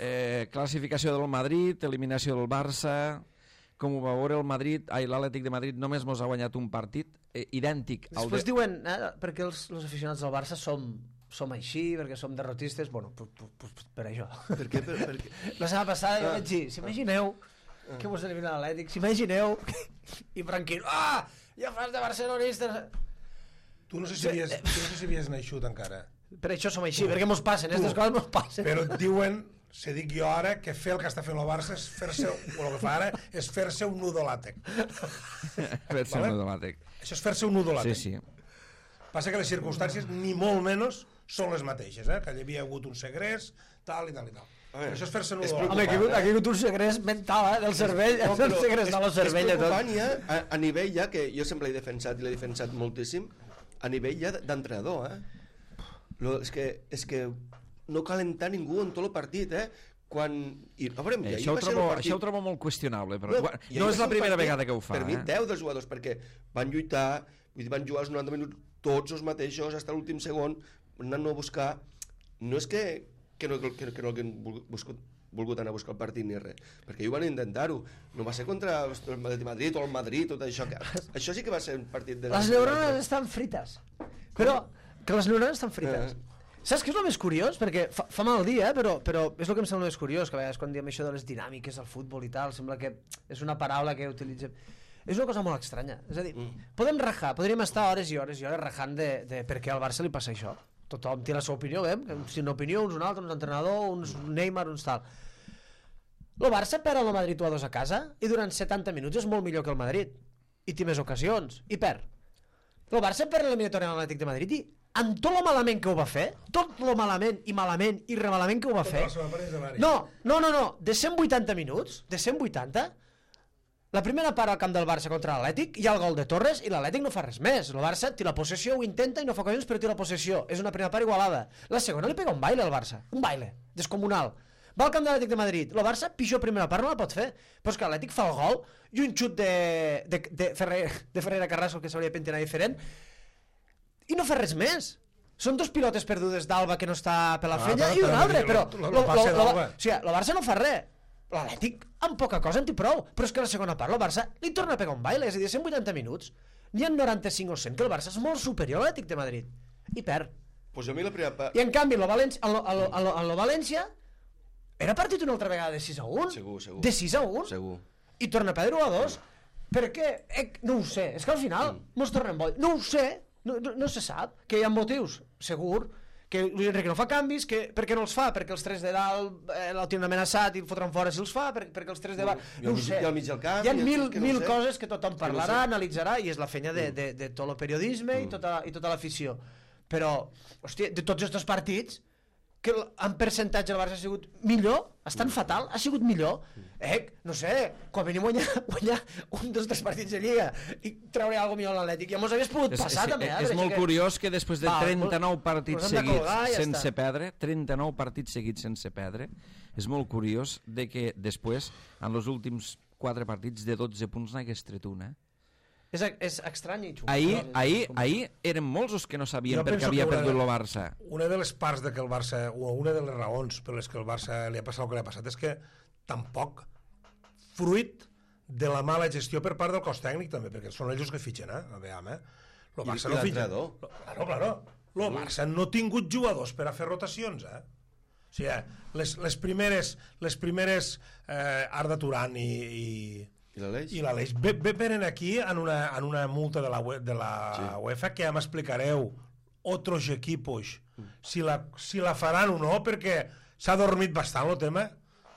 eh, classificació del Madrid, eliminació del Barça. Com ho va veure el Madrid, ai, l'Atlètic de Madrid només mos ha guanyat un partit eh, idèntic al Després de... diuen, eh, perquè els, els aficionats del Barça som, som així, perquè som derrotistes, bueno, per, per, per això. Per què? Per, per què? La setmana passada jo vaig dir, s'imagineu ah. que vos elimina l'Atlètic, s'imagineu i Franquino, ah, ja fas de barcelonistes. Tu no sé si havies, tu no sé si havies naixut encara. Per això som així, perquè mos passen, aquestes coses mos passen. Però et diuen, se dic jo ara, que fer el que està fent el Barça és fer-se, o el que fa ara, és fer-se un nudo làtec. Fer-se un nudo làtec. Això és fer-se un nudo làtec. Sí, sí. Passa que les circumstàncies, ni molt menys, són les mateixes, eh? Que hi havia hagut un segrest, tal i tal i tal. Veure, això és fer-se un nudo làtec. Home, aquí, aquí ha hagut un segrest mental, eh, del cervell, no, el segrest de la cervell. És preocupant ja, a, a nivell ja, que jo sempre l'he defensat i l'he defensat moltíssim, a nivell ja d'entrenador, eh? Lo, és, que, és que no calentar ningú en tot el partit, eh? Quan... I, a veure, eh, això, ho trobo, partit... això ho trobo molt qüestionable, però no, no és la primera partit, vegada que ho fa. Per mi, eh? deu dels jugadors, perquè van lluitar, vull dir, van jugar els noranta minuts tots els mateixos, fins a l'últim segon, anant a buscar... No és que, que no, que, que no haguin buscat, volgut anar a buscar el partit ni res, perquè ells van intentar-ho. No va ser contra el Madrid o el Madrid, tot això. Que... Això sí que va ser un partit de... Les neurones estan frites. Però... que les neurones estan frites. Eh. Saps què és el més curiós? Perquè fa, fa mal dia, però, però és el que em sembla més curiós, que a vegades quan diem això de les dinàmiques al futbol i tal, sembla que és una paraula que utilitzem... És una cosa molt estranya. És a dir, mm. podem rajar, podríem estar hores i hores i hores rajant de, de per què al Barça li passa això. Tothom té la seva opinió, veiem? Si una opinió, uns un altre, uns entrenador, uns Neymar, uns tal. El Barça perd el Madrid u a dos a casa i durant setanta minuts és molt millor que el Madrid. I té més ocasions. I perd. El Barça perd l'eliminatòria de l'Atlètic de Madrid i amb tot lo malament que ho va fer, tot lo malament i malament i remalament que ho va fer... No, no, no, no, de cent vuitanta minuts, de cent vuitanta, la primera part al camp del Barça contra l'Atlètic, hi ha el gol de Torres i l'Atlètic no fa res més. El Barça té la possessió, ho intenta i no fa ocasions, però té la possessió. És una primera part igualada. La segona li pega un baile al Barça, un baile, descomunal. Va al camp de l'Atlètic de Madrid, el Barça, pitjor primera part no la pot fer, però és que l'Atlètic fa el gol i un xut de, de, de, Ferrer, de Ferreira Carrasco que s'hauria de pentinar diferent i no fa res més. Són dos pilotes perdudes d'Alba que no està per la fenya ah, i un altre, però el Barça no fa res. L'Atlètic amb poca cosa en té prou, però és que la segona part el Barça li torna a pegar un baile, és a dir, cent vuitanta minuts n'hi ha noranta-cinc o cent que el Barça és molt superior a l'Atlètic de Madrid i perd. Pues a mi la primera part... I en canvi el València, el, el, el, el, el València era partit una altra vegada de sis a un, segur, segur. De sis a un segur. I torna a perdre u a dos. Per què? Eh, no ho sé, és que al final mm. mos tornem boig. No ho sé, no, no, no se sap, que hi ha motius, segur, que Luis Enrique no fa canvis, que, per què no els fa? Perquè els tres de dalt eh, el tenen amenaçat i el fotran fora si els fa, per, perquè els tres de baix... No ho sé, i al mig del camp, hi ha mil, no mil sé. coses que tothom parlarà, no analitzarà, i és la feina de, de, de tot el periodisme mm. i tota, i tota l'afició. Però, hòstia, de tots aquests partits, que en percentatge el Barça ha sigut millor, estan fatal, ha sigut millor. Eh, no sé, quan venim a guanyar, guanyar un dels tres partits de Lliga i treure alguna millor a l'Atlètic, ja mos hagués pogut és, passar és, també. Eh? És molt que... curiós que després de trenta-nou partits seguits colgar, ja sense està. perdre, trenta-nou partits seguits sense perdre, és molt curiós de que després, en els últims quatre partits, de dotze punts n'hagués tret un, eh? És, és estrany i xungo. Ahir, ahir, ahir eren molts els que no sabien per què havia perdut el Barça. Una de les parts de que el Barça, o una de les raons per les que el Barça li ha passat el que li ha passat és que tampoc fruit de la mala gestió per part del cos tècnic també, perquè són ells que fitxen, eh? A veure, eh? Lo Barça I, no i fitxa. Claro, claro. Lo Barça no ha tingut jugadors per a fer rotacions, eh? O sigui, les, les primeres, les primeres eh, Arda Turan i... i I l'Aleix? I l'Aleix. Ve, ve venen aquí en una, en una multa de la, de la sí. UEFA que ja m'explicareu otros equipos mm. si, la, si la faran o no, perquè s'ha dormit bastant el tema,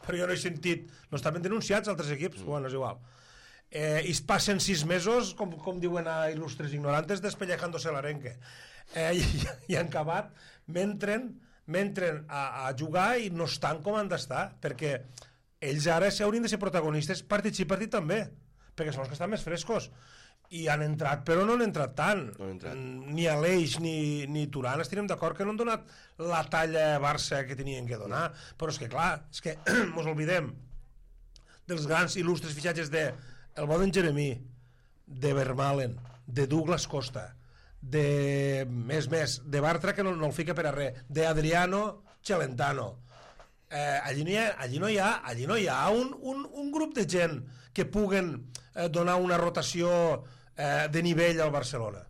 però jo no he sentit, no estaven denunciats altres equips, mm. bueno, és igual. Eh, I es passen sis mesos, com, com diuen a il·lustres ignorantes, despellejándose l'arenque. Eh, i, I han acabat, m'entren m'entren a, a jugar i no estan com han d'estar, perquè ells ara s'haurien de ser protagonistes partit sí, partit també, perquè són els que estan més frescos. I han entrat, però no han entrat tant. No han entrat. Ni Aleix ni, ni Turan estirem d'acord que no han donat la talla Barça que tenien que donar. No. Però és que, clar, és que mos oblidem dels grans il·lustres fitxatges de el Boden Jeremí, de Vermaelen, de Douglas Costa, de més més, de Bartra, que no, no el fica per a res, de Adriano Celentano. Eh, allí, no hi ha, allí no hi ha, allí no hi ha un, un, un grup de gent que puguen eh, donar una rotació eh, de nivell al Barcelona.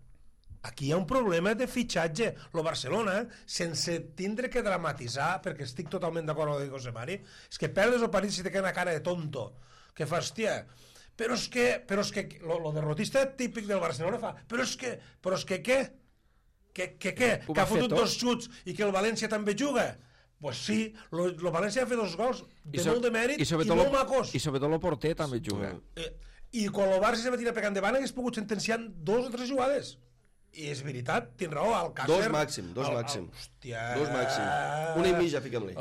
Aquí hi ha un problema de fitxatge. El Barcelona, sense tindre que dramatitzar, perquè estic totalment d'acord amb el que diu José Mari, és que perdes el partit si te queda una cara de tonto, que fa, hòstia, però és que, però és que lo, lo derrotista típic del Barcelona fa, però és que, però és que què? Que, que què? Ho Que va ha fer fotut tot. dos xuts i que el València també juga? Pues sí, lo, lo València ha fet dos gols de so- molt de mèrit i, sobretot molt lo- macos. I sobretot el porter també juga. Eh, I quan el Barça se va tirar pegant davant hagués pogut sentenciar en dos o tres jugades. I és veritat, tens raó, el Càcer... Dos màxim, dos el, màxim. El, hòstia... Dos màxim. Una i mitja, fiquem-li.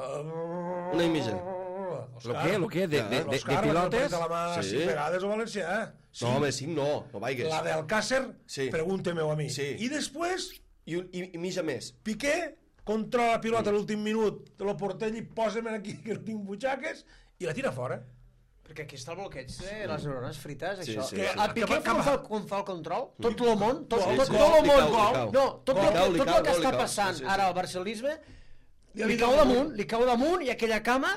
Una i mitja. Lo què, lo què? De, de, de, de L'Òscar, pilotes? de la mà Sí. cinc vegades al València. Sí. No, home, cinc no, no vaigues. La del Càcer, Sí. pregunta-m'ho a mi. Sí. I després, I, un, i, i mitja més. Piqué controla la pilota a l'últim minut de lo portell i posa-me aquí que no tinc butxaques i la tira fora. Perquè aquí està el bloqueig de les neurones frites, Sí, això. sí, que sí. a Piqué Que va- quan fa, quan fa el control, tot el món, tot, Sí, tot, sí. tot el Li món, cau, li cau. no, tot, Li el, cau, li tot cau, el que li està cau. passant Sí, sí, sí. ara al barcelisme, li Li cau cau damunt, li cau damunt i aquella cama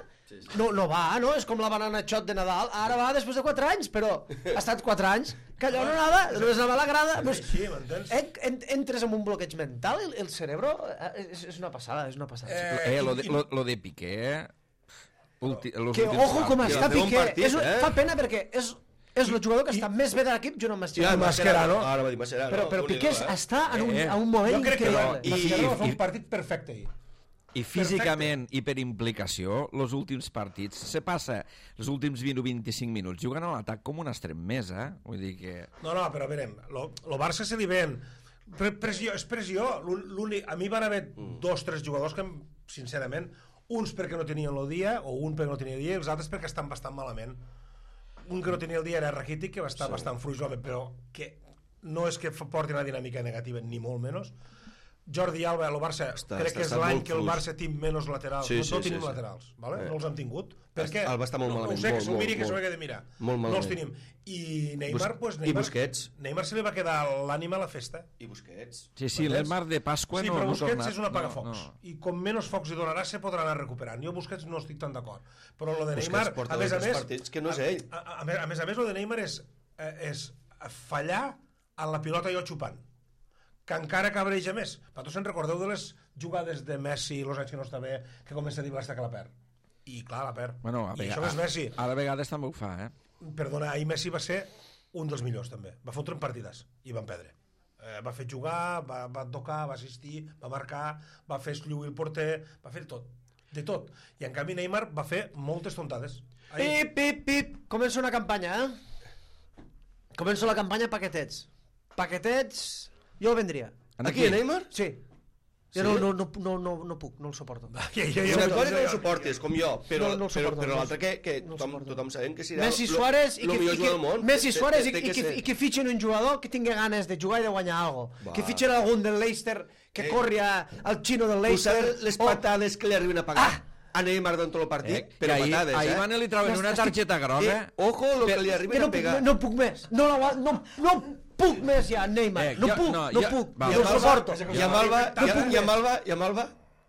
no, no va, no? És com la banana xot de Nadal, ara va després de quatre anys, però ha estat quatre anys, que allò no anava, només anava a la grada. És Pues, així, m'entens? en, en, entres en un bloqueig mental, el, el cerebro, eh, és, és una passada, és una passada. Eh, Eh, lo de, i- lo, lo de Piqué... Ulti, los Que últims ojo com partits. està va fer un Piqué, partit, és, un- eh? fa pena perquè és, és el jugador que està més bé de l'equip junt amb Ja, Mascherano. Mascherano. Ara va dir Mascherano. Però, però Déu-n'hi-do, Piqué eh? està en un, Eh, a un moment Jo crec que increïble. no. I- Mascherano va fer i- un partit perfecte ahir. I físicament i per implicació, els últims partits, se passa els últims vint o vint-i-cinc minuts jugant a l'atac com una extrem més, eh? Vull dir que... No, no, però a veure, lo, lo Barça se li ven. Pre pressió, és pressió. L'únic, a mi van haver dos, tres jugadors que, sincerament, uns perquè no tenien el dia, o un perquè no tenia el dia, i els altres perquè estan bastant malament. Un que no tenia el dia era Rakitic, que va estar sí. bastant fluix, home, però que no és que porti una dinàmica negativa, ni molt menys. Jordi Alba, el Barça, Està- crec està- que és està l'any molt que el fluix. Barça té menys laterals. Sí, no, sí, no sí, tenim sí. laterals, vale? Eh. No els hem tingut. Està- Perquè Alba està molt no, malament, No ho sé, que molt, s'ho miri, molt, que s'ho molt. hagué de mirar. Molt no els malament. tenim. I Neymar, Bus- pues, i Neymar, Busquets. Neymar se li va quedar l'ànima a la festa. I Busquets. Sí, sí, M'entens? l'Emar de Pasqua sí, no, però no ha Busquets tornat. és un apagafocs. No, no. I com menys focs hi donarà, se podrà anar recuperant. Jo Busquets no estic tan d'acord. Però lo de Busquets Neymar, porta a més a dos més... partits que no és a- ell. A, a, a, més- a més a més, lo de Neymar és, eh, és fallar en la pilota jo xupant. Que encara cabreja més. Vosaltres se'n recordeu de les jugades de Messi els anys que no està bé, que comença a dir l'esta que la perd. I clar, la perd. Bueno, a I vega- això és Messi. Ara a vegades també ho fa, eh? Perdona, ahir Messi va ser un dels millors també. Va fotre en partides i van perdre. Eh, va fer jugar, va, va tocar, va assistir, va marcar, va fer lluir el porter, va fer tot, de tot. I en canvi Neymar va fer moltes tontades. Ahir. Pip, pip, pip. Comença una campanya, eh? Comença la campanya paquetets. Paquetets... Jo el vendria. Aquí, Neymar? Sí. Jo Sí? no, no, no, no, no, no puc, no el suporto. Ja, ja, Una ja, cosa que no ja, el suportis, com jo, però, No, no el però, suporto, però no. l'altra que, que No el tothom, suporto. tothom sabem que serà Messi lo- Suárez i lo que, millor i jugador que, del món. Messi Té- Suárez té- i, té i, que, ser. i que fitxen un jugador que tingui ganes de jugar i de guanyar alguna cosa. Va. Que fitxen algun del Leicester que Eh. corri a- al xino del Tu Leicester. saps les o- patades que li arriben a pagar Ah! a Neymar durant tot el partit? Eh, Però que ahir, patades, ahir eh? van i li trauen una targeta groga. Eh, ojo lo que li Que arriben no, a puc, pegar. no puc més. No, la, no, no puc més ja, Neymar. Eh, no, jo- puc, no, no, jo- puc, va, no el Alba- suporto. I amb Alba, No i amb- puc i amb Alba, i amb Alba...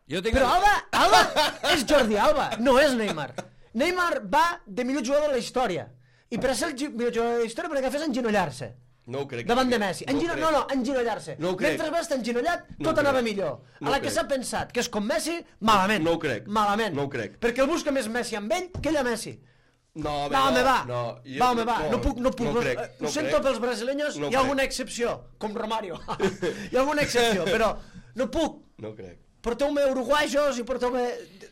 Jo tinc... Però Alba, Alba és Jordi Alba, no és Neymar. Neymar va de millor jugador de la història. I per a ser el gi- millor jugador de la història, perquè fes enginollar-se. No ho crec. Davant de Messi. No ho Engino... crec. No, no, enginollar-se. No ho crec. Mentre va estar enginollat, No ho tot anava crec. millor. No A ho la que crec. s'ha pensat que és com Messi, malament. No ho crec. Malament. No ho crec. Perquè el busca més Messi amb ell que ell a Messi. No, Va, home, va. No, jo va, home, crec- va. No puc, no puc. No No, crec, eh, no ho sento crec. pels brasileños, No hi ha crec. alguna excepció, com Romario. Hi ha alguna excepció, però no puc. No ho crec. Porteu-me uruguaios i porteu-me...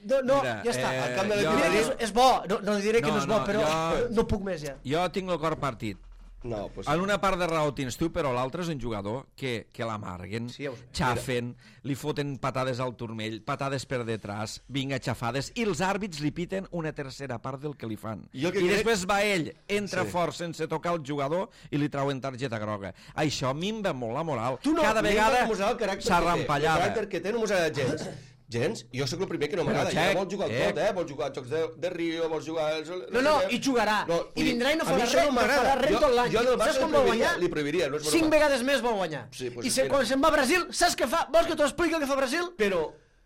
No, no Mira, ja està. eh, Al camp de jo- Diré que és, l'equip és bo, no, no diré que No, no és bo, no, però jo- no puc més ja. Jo tinc el cor partit. No, pues... En una part de raó tens tu, però l'altre és un jugador que, que l'amarguen, Sí, ja ho sé. xafen, li foten patades al turmell, patades per detrás, vinga, xafades, i els àrbits li piten una tercera part del que li fan. Jo I que crec- després va ell, entra Sí. fort sense tocar el jugador i li trauen targeta groga. Això minva molt la moral. Tu no, Cada Neymar vegada no mos agrada el caràcter s'ha que té. El rampallada. caràcter que té no mos agrada gens. Gens? Jo sóc el primer que no Però, m'agrada. Ja Xec, vol jugar al eh? tot, eh? Vol jugar als Jocs de, de Rio, vol jugar... Als, No, no, sé què. i jugarà. No, I vindrà i no a mi farà això res, no no m'agrada. farà res Jo- tot l'any. Jo del Saps Barça com li vol prohibiria, guanyar? li prohibiria, no és Cinc broma. vegades més vol guanyar. Sí, pues I se, mira. quan se'n va a Brasil, saps què fa? Vols que t'ho expliqui el que fa Brasil? Però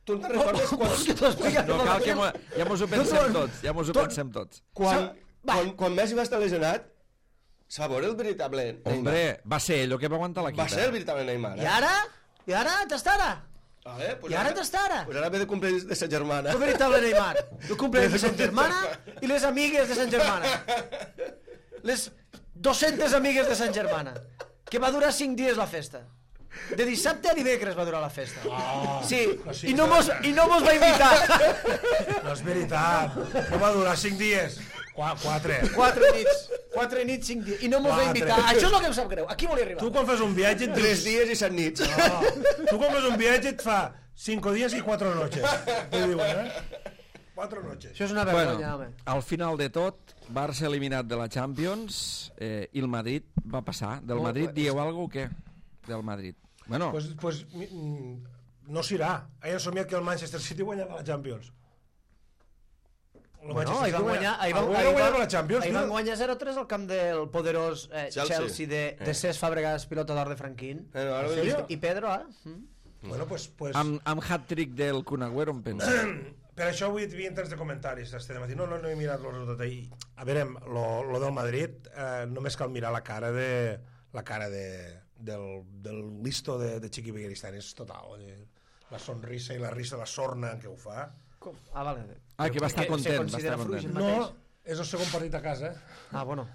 tu no te'n recordes quan... Vols que t'ho expliqui el que No fa cal que Brasil? mo- ja mos ho pensem tots, ja mos ho Tot- pensem tots. Quan, Va. quan, quan Messi va estar lesionat, se va veure el veritable Neymar. Hombre, va ser ell el que va aguantar la quita. Va ser el veritable Neymar, eh? I ara? I ara? T'està ara? Vale, pues I ara t'està ara? Pues ara ve de cumpleaños de sa germana. El veritable Neymar. El cumpleaños de Sant Germana i les amigues de Sant Germana. Les dues-centes amigues de Sant Germana. Que va durar cinc dies la festa. De dissabte a dimecres va durar la festa. Oh, Sí, no, sí, i no no, mos, no. i no mos va invitar. No és veritat. No va durar cinc dies. Qua, quatre. Quatre nits, quatre nits, cinc dies. I no mos va Quatre. invitar. Això és el que em sap greu. Aquí volia arribar. Tu quan fas un viatge et Tres dius... dies i set nits. No. Tu quan fas un viatge et fa cinco dies i quatre noches. T'ho diuen, eh? Quatre noches. Això és una Bueno, vergonya, home. al final de tot, Barça eliminat de la Champions eh, i el Madrid va passar. Del Oh, Madrid és- dieu alguna cosa o què? Del Madrid. Bueno, Pues, pues, mm, no s'irà. He somiat que el Manchester City guanyava la Champions. El Bueno, Manchester ahir van City guanyar, ahir van, Algú ahir guanyava van, la Champions, ahir tio. van guanyar zero tres al camp del poderós eh, Chelsea. Chelsea, de, de Cesc Fàbregas, pilota d'or de Franquín. Eh, no, ara ¿En ho he serio? vist. I Pedro, eh? Mm. Bueno, pues, pues, amb, amb hat-trick del Kun Agüero, em penso. per això avui hi havia tants de comentaris este dematí. No, no, no he mirat el resultat ahir. A veure, lo, lo del Madrid, eh, només cal mirar la cara de la cara de, del, del listo de, de Chiqui Beguiristán. És total. Eh? La sonrisa i la risa, la sorna en què ho fa. Com? Ah, vale. Ah, que va estar Se content, va considera estar fluix content. el mateix? No, és el segon partit a casa. Ah, bueno.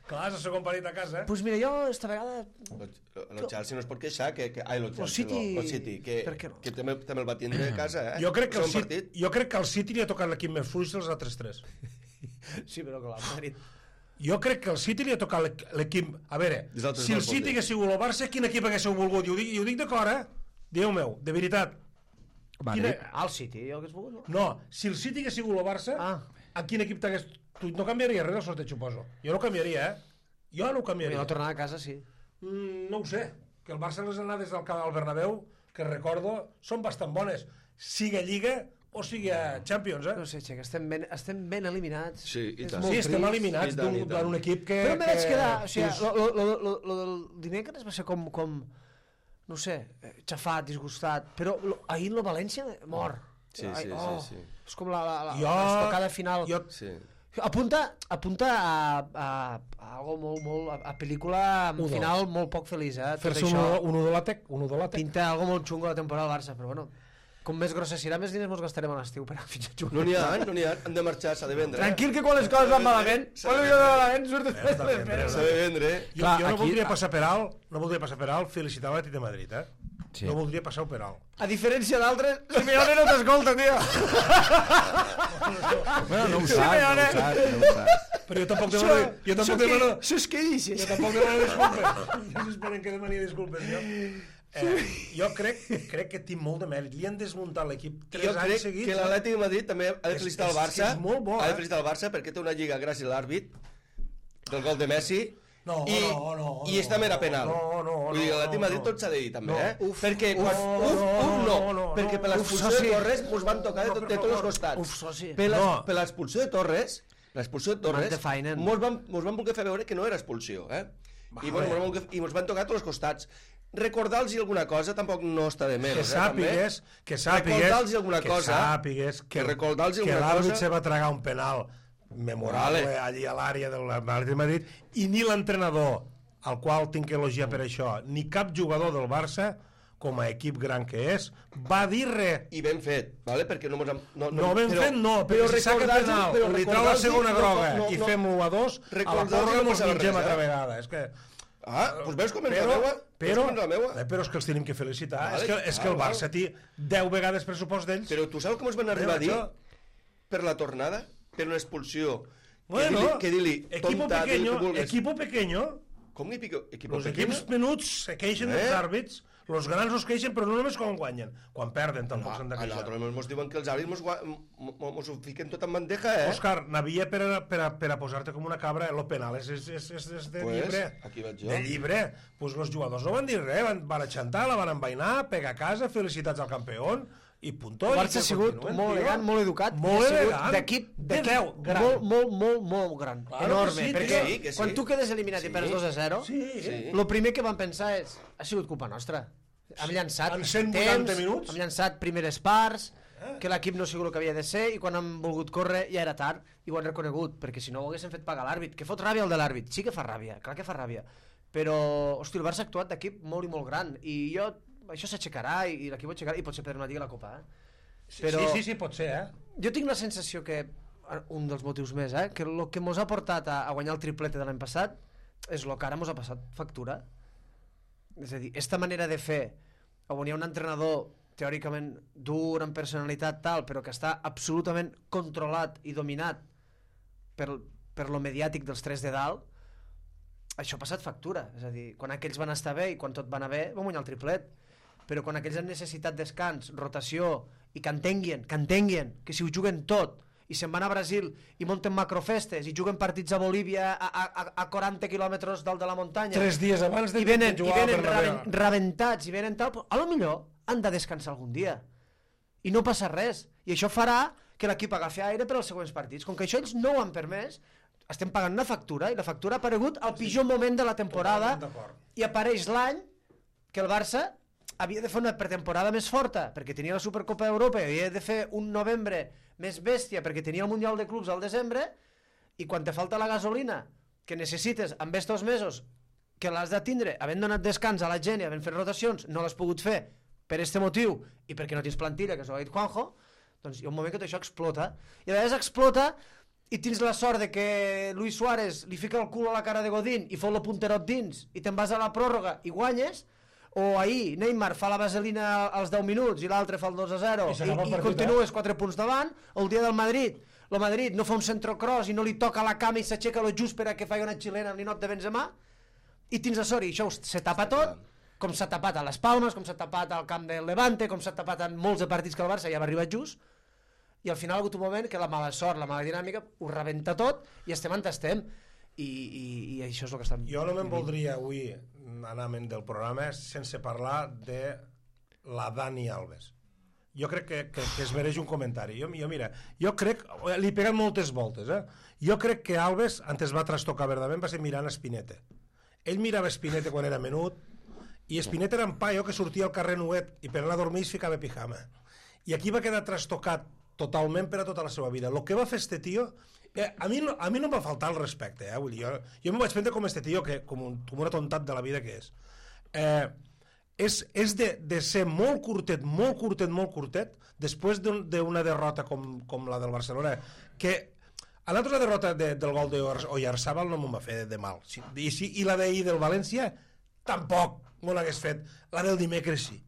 Clar, és el segon partit a casa. Pues mira, jo esta vegada... El Chelsea no es pot queixar que... que ai, el Chelsea, City- lo, el City que, per què no? que també, també el va tindre a casa, eh? Jo crec, que el Segon City, partit. jo crec que el City li ha tocat l'equip més fluix dels altres tres. Sí, però clar, el Madrid... Jo crec que el City li ha tocat l'equ- l'equip... A veure, Els altres si no el el pot City dir. hagués sigut el Barça, quin equip haguéssiu volgut? I ho dic, i ho dic de cor, eh? Déu meu, de veritat. Madrid. Quina- Ah, el City, jo hagués volgut, no? No, si el City hagués sigut el Barça, Ah. a quin equip t'hagués... Tu no canviaria res del sorteig, suposo. Jo no canviaria, eh? Jo no ho I canviaria. la tornada a casa, sí. Mm, no ho sé. Que el Barça les anades del camp del Bernabéu, que recordo, són bastant bones. Siga Lliga o sigui a Champions, eh? No sé, Xec, estem ben, estem ben eliminats. Sí, i És tant. molt Sí, estem trist. eliminats I tant, i d'un tant. d'un equip que... Però me vaig que- quedar... O sigui, dius, lo, lo, lo, lo, lo del dimecres va ser com... com no sé, eh, xafat, disgustat, però lo, ahir el València mor. Sí, Ai, sí, oh, sí, sí. És com la, la, la, Jo- l'estocada final. jo- Sí. Apunta, apunta a, a, a algo molt, molt, a, a pel·lícula amb Un, final molt poc feliç, eh? Tot Fer-se un, això un udolàtec, un udolàtec. pinta algo molt xungo la temporada del Barça, però bueno, com més grossa serà, més diners mos gastarem a l'estiu per a fitxar No jugadors. n'hi ha, no n'hi ha. Han de marxar, s'ha de vendre. Tranquil, que quan les coses van malament, S'ha quan de les coses vendre. van malament, surt després S'ha de les vendre, peres. S'ha de vendre. Jo, Clar, jo no aquí- voldria passar per alt, no voldria passar per alt felicitar l'Atlètic de Madrid, eh? Sí. No voldria passar per alt. A diferència d'altres, Simeone no t'escolta, tio. Bueno, no ho Sí, saps, no ho Simeone. saps, no ho saps. Però jo tampoc demano... Jo tampoc demano... Això és que dices. Jo tampoc demano disculpes. Jo esperen que demani disculpes, jo. Eh, jo crec, crec que té molt de mèrit. Li han desmuntat l'equip tres Jo anys crec seguits. que l'Atlètic de Madrid també ha de És- felicitar el és- Barça. és molt bo, ha eh? de felicitar el Barça perquè té una lliga gràcies a l'àrbit del gol de Messi. No, i, no, no, i esta mera penal. no, no, Vull dir, no, l'Atlètic de Madrid no. tot s'ha de dir també, No. eh? Uf, perquè uf, quan, no, uf, uf, no, no, no, perquè per no, l'expulsió uf, soci. de Torres mos van tocar de, No, tot- per de tots els favor. costats. Uf, soci. Per la- No. per l'expulsió de Torres, l'expulsió de Torres, Mal defainen. mos van, mos van voler fer veure que no era expulsió, eh? I, bueno, mos van voler- I mos van tocar a tots els costats. Recordar-los alguna cosa tampoc no està de menys, Que eh, també. sàpigues, que sàpigues, Recordar-los alguna que cosa. sàpigues que, que recordar-los que alguna l'àrbit cosa. se va tragar un penal memorable Vale. allí a l'àrea del Madrid de Madrid i ni l'entrenador, al qual tinc que elogiar per això, ni cap jugador del Barça, com a equip gran que és, va dir res. I ben fet, vale? perquè no mos han... No, No, ben fet no, però si saca recordar-los- penal, però li trau la recordar-los- segona no, groga no, no, i no. fem u a dos, a la Recordar-los porra no mos passava mengem res, altra eh? vegada. És que... Ah, doncs veus com és Però, la meua? però, Veus com és la meua? eh, però és que els tenim que felicitar. Vale, és que, és que el val, Barça té deu vegades pressupost d'ells. Però tu saps com es van arribar a dir això- per la tornada? Per una expulsió? Bueno, que dir-li, que dir-li equipo tonta, dir-li pequeño, que vulgues. equipo pequeño, Com que pico? Equipo els pequeño? equips menuts se queixen Eh? dels àrbits, els grans no es queixen, però no només quan guanyen, quan perden tampoc s'han de A queixar. nosaltres mos diuen que els àrbits mos, gua- mo- mo- mos ho fiquen tot en bandeja, eh? Òscar, n'havia per, a, per, a, per a posar-te com una cabra, el penal és, és, és, és, és de Pues, llibre. aquí vaig jo. De llibre. Pues els jugadors no van dir res, van, van aixantar, la van envainar, pegar a casa, felicitats al campió, i puntó. El i Barça que ha sigut continuen, molt tio. elegant, molt educat, Molt i ha sigut elegant. d'equip De d'equip deu, gran. molt, molt, molt, molt gran, Claro enorme, que sí, perquè que sí, que sí. quan tu quedes eliminat i perds dos a zero, Sí, Sí. el primer que van pensar és, ha sigut culpa nostra. Hem llançat En cent vuitanta temps, minuts? hem llançat primeres parts, que l'equip no ha sigut el que havia de ser, i quan han volgut córrer ja era tard, i ho han reconegut, perquè si no ho haguessin fet pagar l'àrbit, que fot ràbia el de l'àrbit, sí que fa ràbia, clar que fa ràbia, però, hosti, el Barça ha actuat d'equip molt i molt gran, i jo, això s'aixecarà, i, i l'equip ho aixecarà, i potser perdre una lliga a la Copa, eh? Però Sí, sí, sí, pot ser, eh? jo tinc la sensació que, un dels motius més, eh, que el que mos ha portat a, a guanyar el triplete de l'any passat és el que ara mos ha passat factura. és a dir, esta manera de fer, on hi ha un entrenador teòricament dur, amb personalitat tal, però que està absolutament controlat i dominat per, per lo mediàtic dels tres de dalt, això ha passat factura. És a dir, quan aquells van estar bé i quan tot va anar bé, van guanyar el triplet. Però quan aquells han necessitat descans, rotació, i que entenguin, que entenguin, que si ho juguen tot, i se'n van a Brasil i munten macrofestes i juguen partits a Bolívia a, a, a quaranta quilòmetres dalt de la muntanya, Tres dies abans de, i venen, de i jugar venen per la raven, rebentats i venen tal, a lo millor han de descansar algun dia i no passa res, i això farà que l'equip agafi aire per als següents partits. Com que això ells no ho han permès, estem pagant una factura, i la factura ha aparegut al pitjor moment de la temporada, i apareix l'any que el Barça havia de fer una pretemporada més forta perquè tenia la Supercopa d'Europa, i havia de fer un novembre més bèstia perquè tenia el Mundial de Clubs al desembre, i quan te falta la gasolina que necessites amb estos mesos, que l'has de tindre havent donat descans a la gent i havent fet rotacions, no l'has pogut fer per este motiu i perquè no tens plantilla, que s'ho ha dit Juanjo, doncs hi ha un moment que tot això explota, i a vegades explota i tens la sort de que Luis Suárez li fica el cul a la cara de Godín i fot el punterot dins i te'n vas a la pròrroga i guanyes, o ahir Neymar fa la vaselina als deu minuts i l'altre fa el dos a zero i, i, i continues quatre punts davant, o el dia del Madrid el Madrid no fa un centrocross i no li toca la cama i s'aixeca lo just per a que faci una xilena al ninot de Benzema, i tens la sort i això se tapa tot, com s'ha tapat a les Palmes, com s'ha tapat al camp del Levante, com s'ha tapat en molts de partits que el Barça ja va arribar just, i al final ha hagut un moment que la mala sort, la mala dinàmica ho rebenta tot i estem on estem, i, i, i això és el que estem... Jo no me'n voldria avui anar del programa sense parlar de la Dani Alves. Jo crec que, que, que es mereix un comentari. Jo, jo mira, jo crec, li he pegat moltes voltes, eh? Jo crec que Alves, antes va trastocar verdament, va ser mirant Espinete. Ell mirava Espinete quan era menut, i Espinete era un paio que sortia al carrer nuet i per anar a dormir es ficava pijama. I aquí va quedar trastocat totalment per a tota la seva vida. El que va fer este tio, eh, a, mi, a mi no em va faltar el respecte, eh? Vull dir, jo, jo m'ho vaig prendre com este tio, que, com, un, com una tontat de la vida que és. Eh, és, és de, de ser molt curtet, molt curtet, molt curtet, després d'una un, derrota com, com la del Barcelona, que a l'altra derrota de, del gol d'Oyarzabal no m'ho va fer de, de mal. Si, i, si, I la d'ahir del València tampoc m'ho l'hagués fet. La del dimecres sí.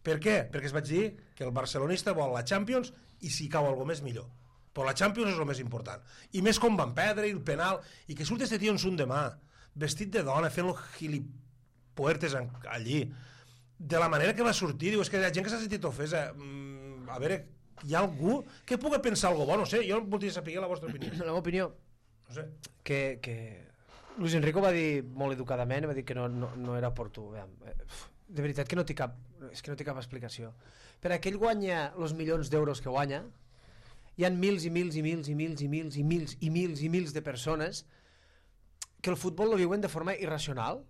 Per què? Perquè es vaig dir que el barcelonista vol la Champions i si cau alguna més millor. Però la Champions és el més important. I més com van perdre, i el penal, i que surt este tio en son demà, vestit de dona, fent-lo gilipuertes allí, de la manera que va sortir. Diu, és que hi ha gent que s'ha sentit ofesa. Mm, a veure, hi ha algú que pugui pensar alguna cosa bo? No sé, jo voldria saber la vostra opinió. La meva opinió, no sé. que, que Luis Enrico va dir molt educadament, va dir que no, no, no era oportú. De veritat que no té cap, és que no té cap explicació. Per a que ell guanya els milions d'euros que guanya, hi ha mils i mils i mils i mils i mils i mils i mils i mils de persones que el futbol lo viuen de forma irracional,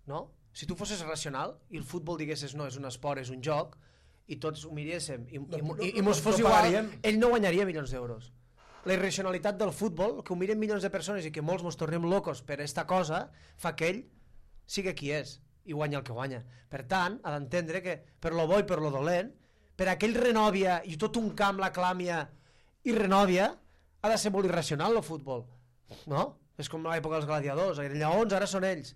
no? Si tu fosses racional i el futbol diguessis no, és un esport, és un joc, i tots ho miréssim i, i, i, i mos fos igual, ell no guanyaria milions d'euros. La irracionalitat del futbol, que ho miren milions de persones i que molts mos tornem locos per esta cosa, fa que ell sigui qui és i guanya el que guanya. Per tant, ha d'entendre que per lo bo i per lo dolent, per aquell renòvia i tot un camp l'aclàmia i renòvia, ha de ser molt irracional el futbol, no? És com l'època dels gladiadors, eren lleons, ara són ells.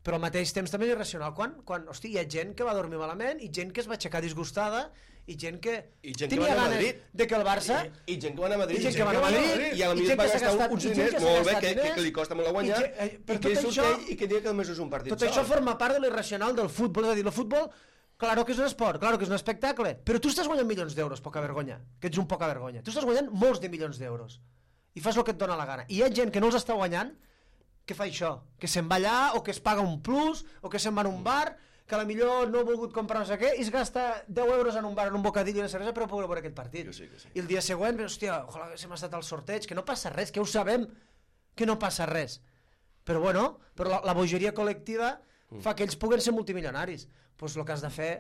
Però al mateix temps també és irracional. Quan, quan hosti, hi ha gent que va dormir malament i gent que es va aixecar disgustada i gent que I gent tenia que va ganes de que el Barça... I, I gent que va anar a Madrid. I gent que va anar a Madrid. I a la millor va gastar uns diners molt bé, que, que, que li costa molt a guanyar, i que, i que surt això, ell i que diu que només és un partit tot sol. això forma part de l'irracional del futbol. És a dir, el futbol, claro que és un esport, claro que és un espectacle, però tu estàs guanyant milions d'euros, poca vergonya, que ets un poca vergonya. Tu estàs guanyant molts de milions d'euros i fas el que et dona la gana. I hi ha gent que no els està guanyant que fa això, que se'n va allà o que es paga un plus o que se'n va a un bar, que a la millor no ha volgut comprar no sé què i es gasta deu euros en un bar, en un bocadillo i una cervesa per poder veure aquest partit. Sí, sí. I el dia següent, hòstia, ojalà que s'hem estat al sorteig, que no passa res, que ho sabem, que no passa res. Però bueno, però la, la bogeria col·lectiva mm. fa que ells puguen ser multimilionaris. Doncs pues el que has de fer,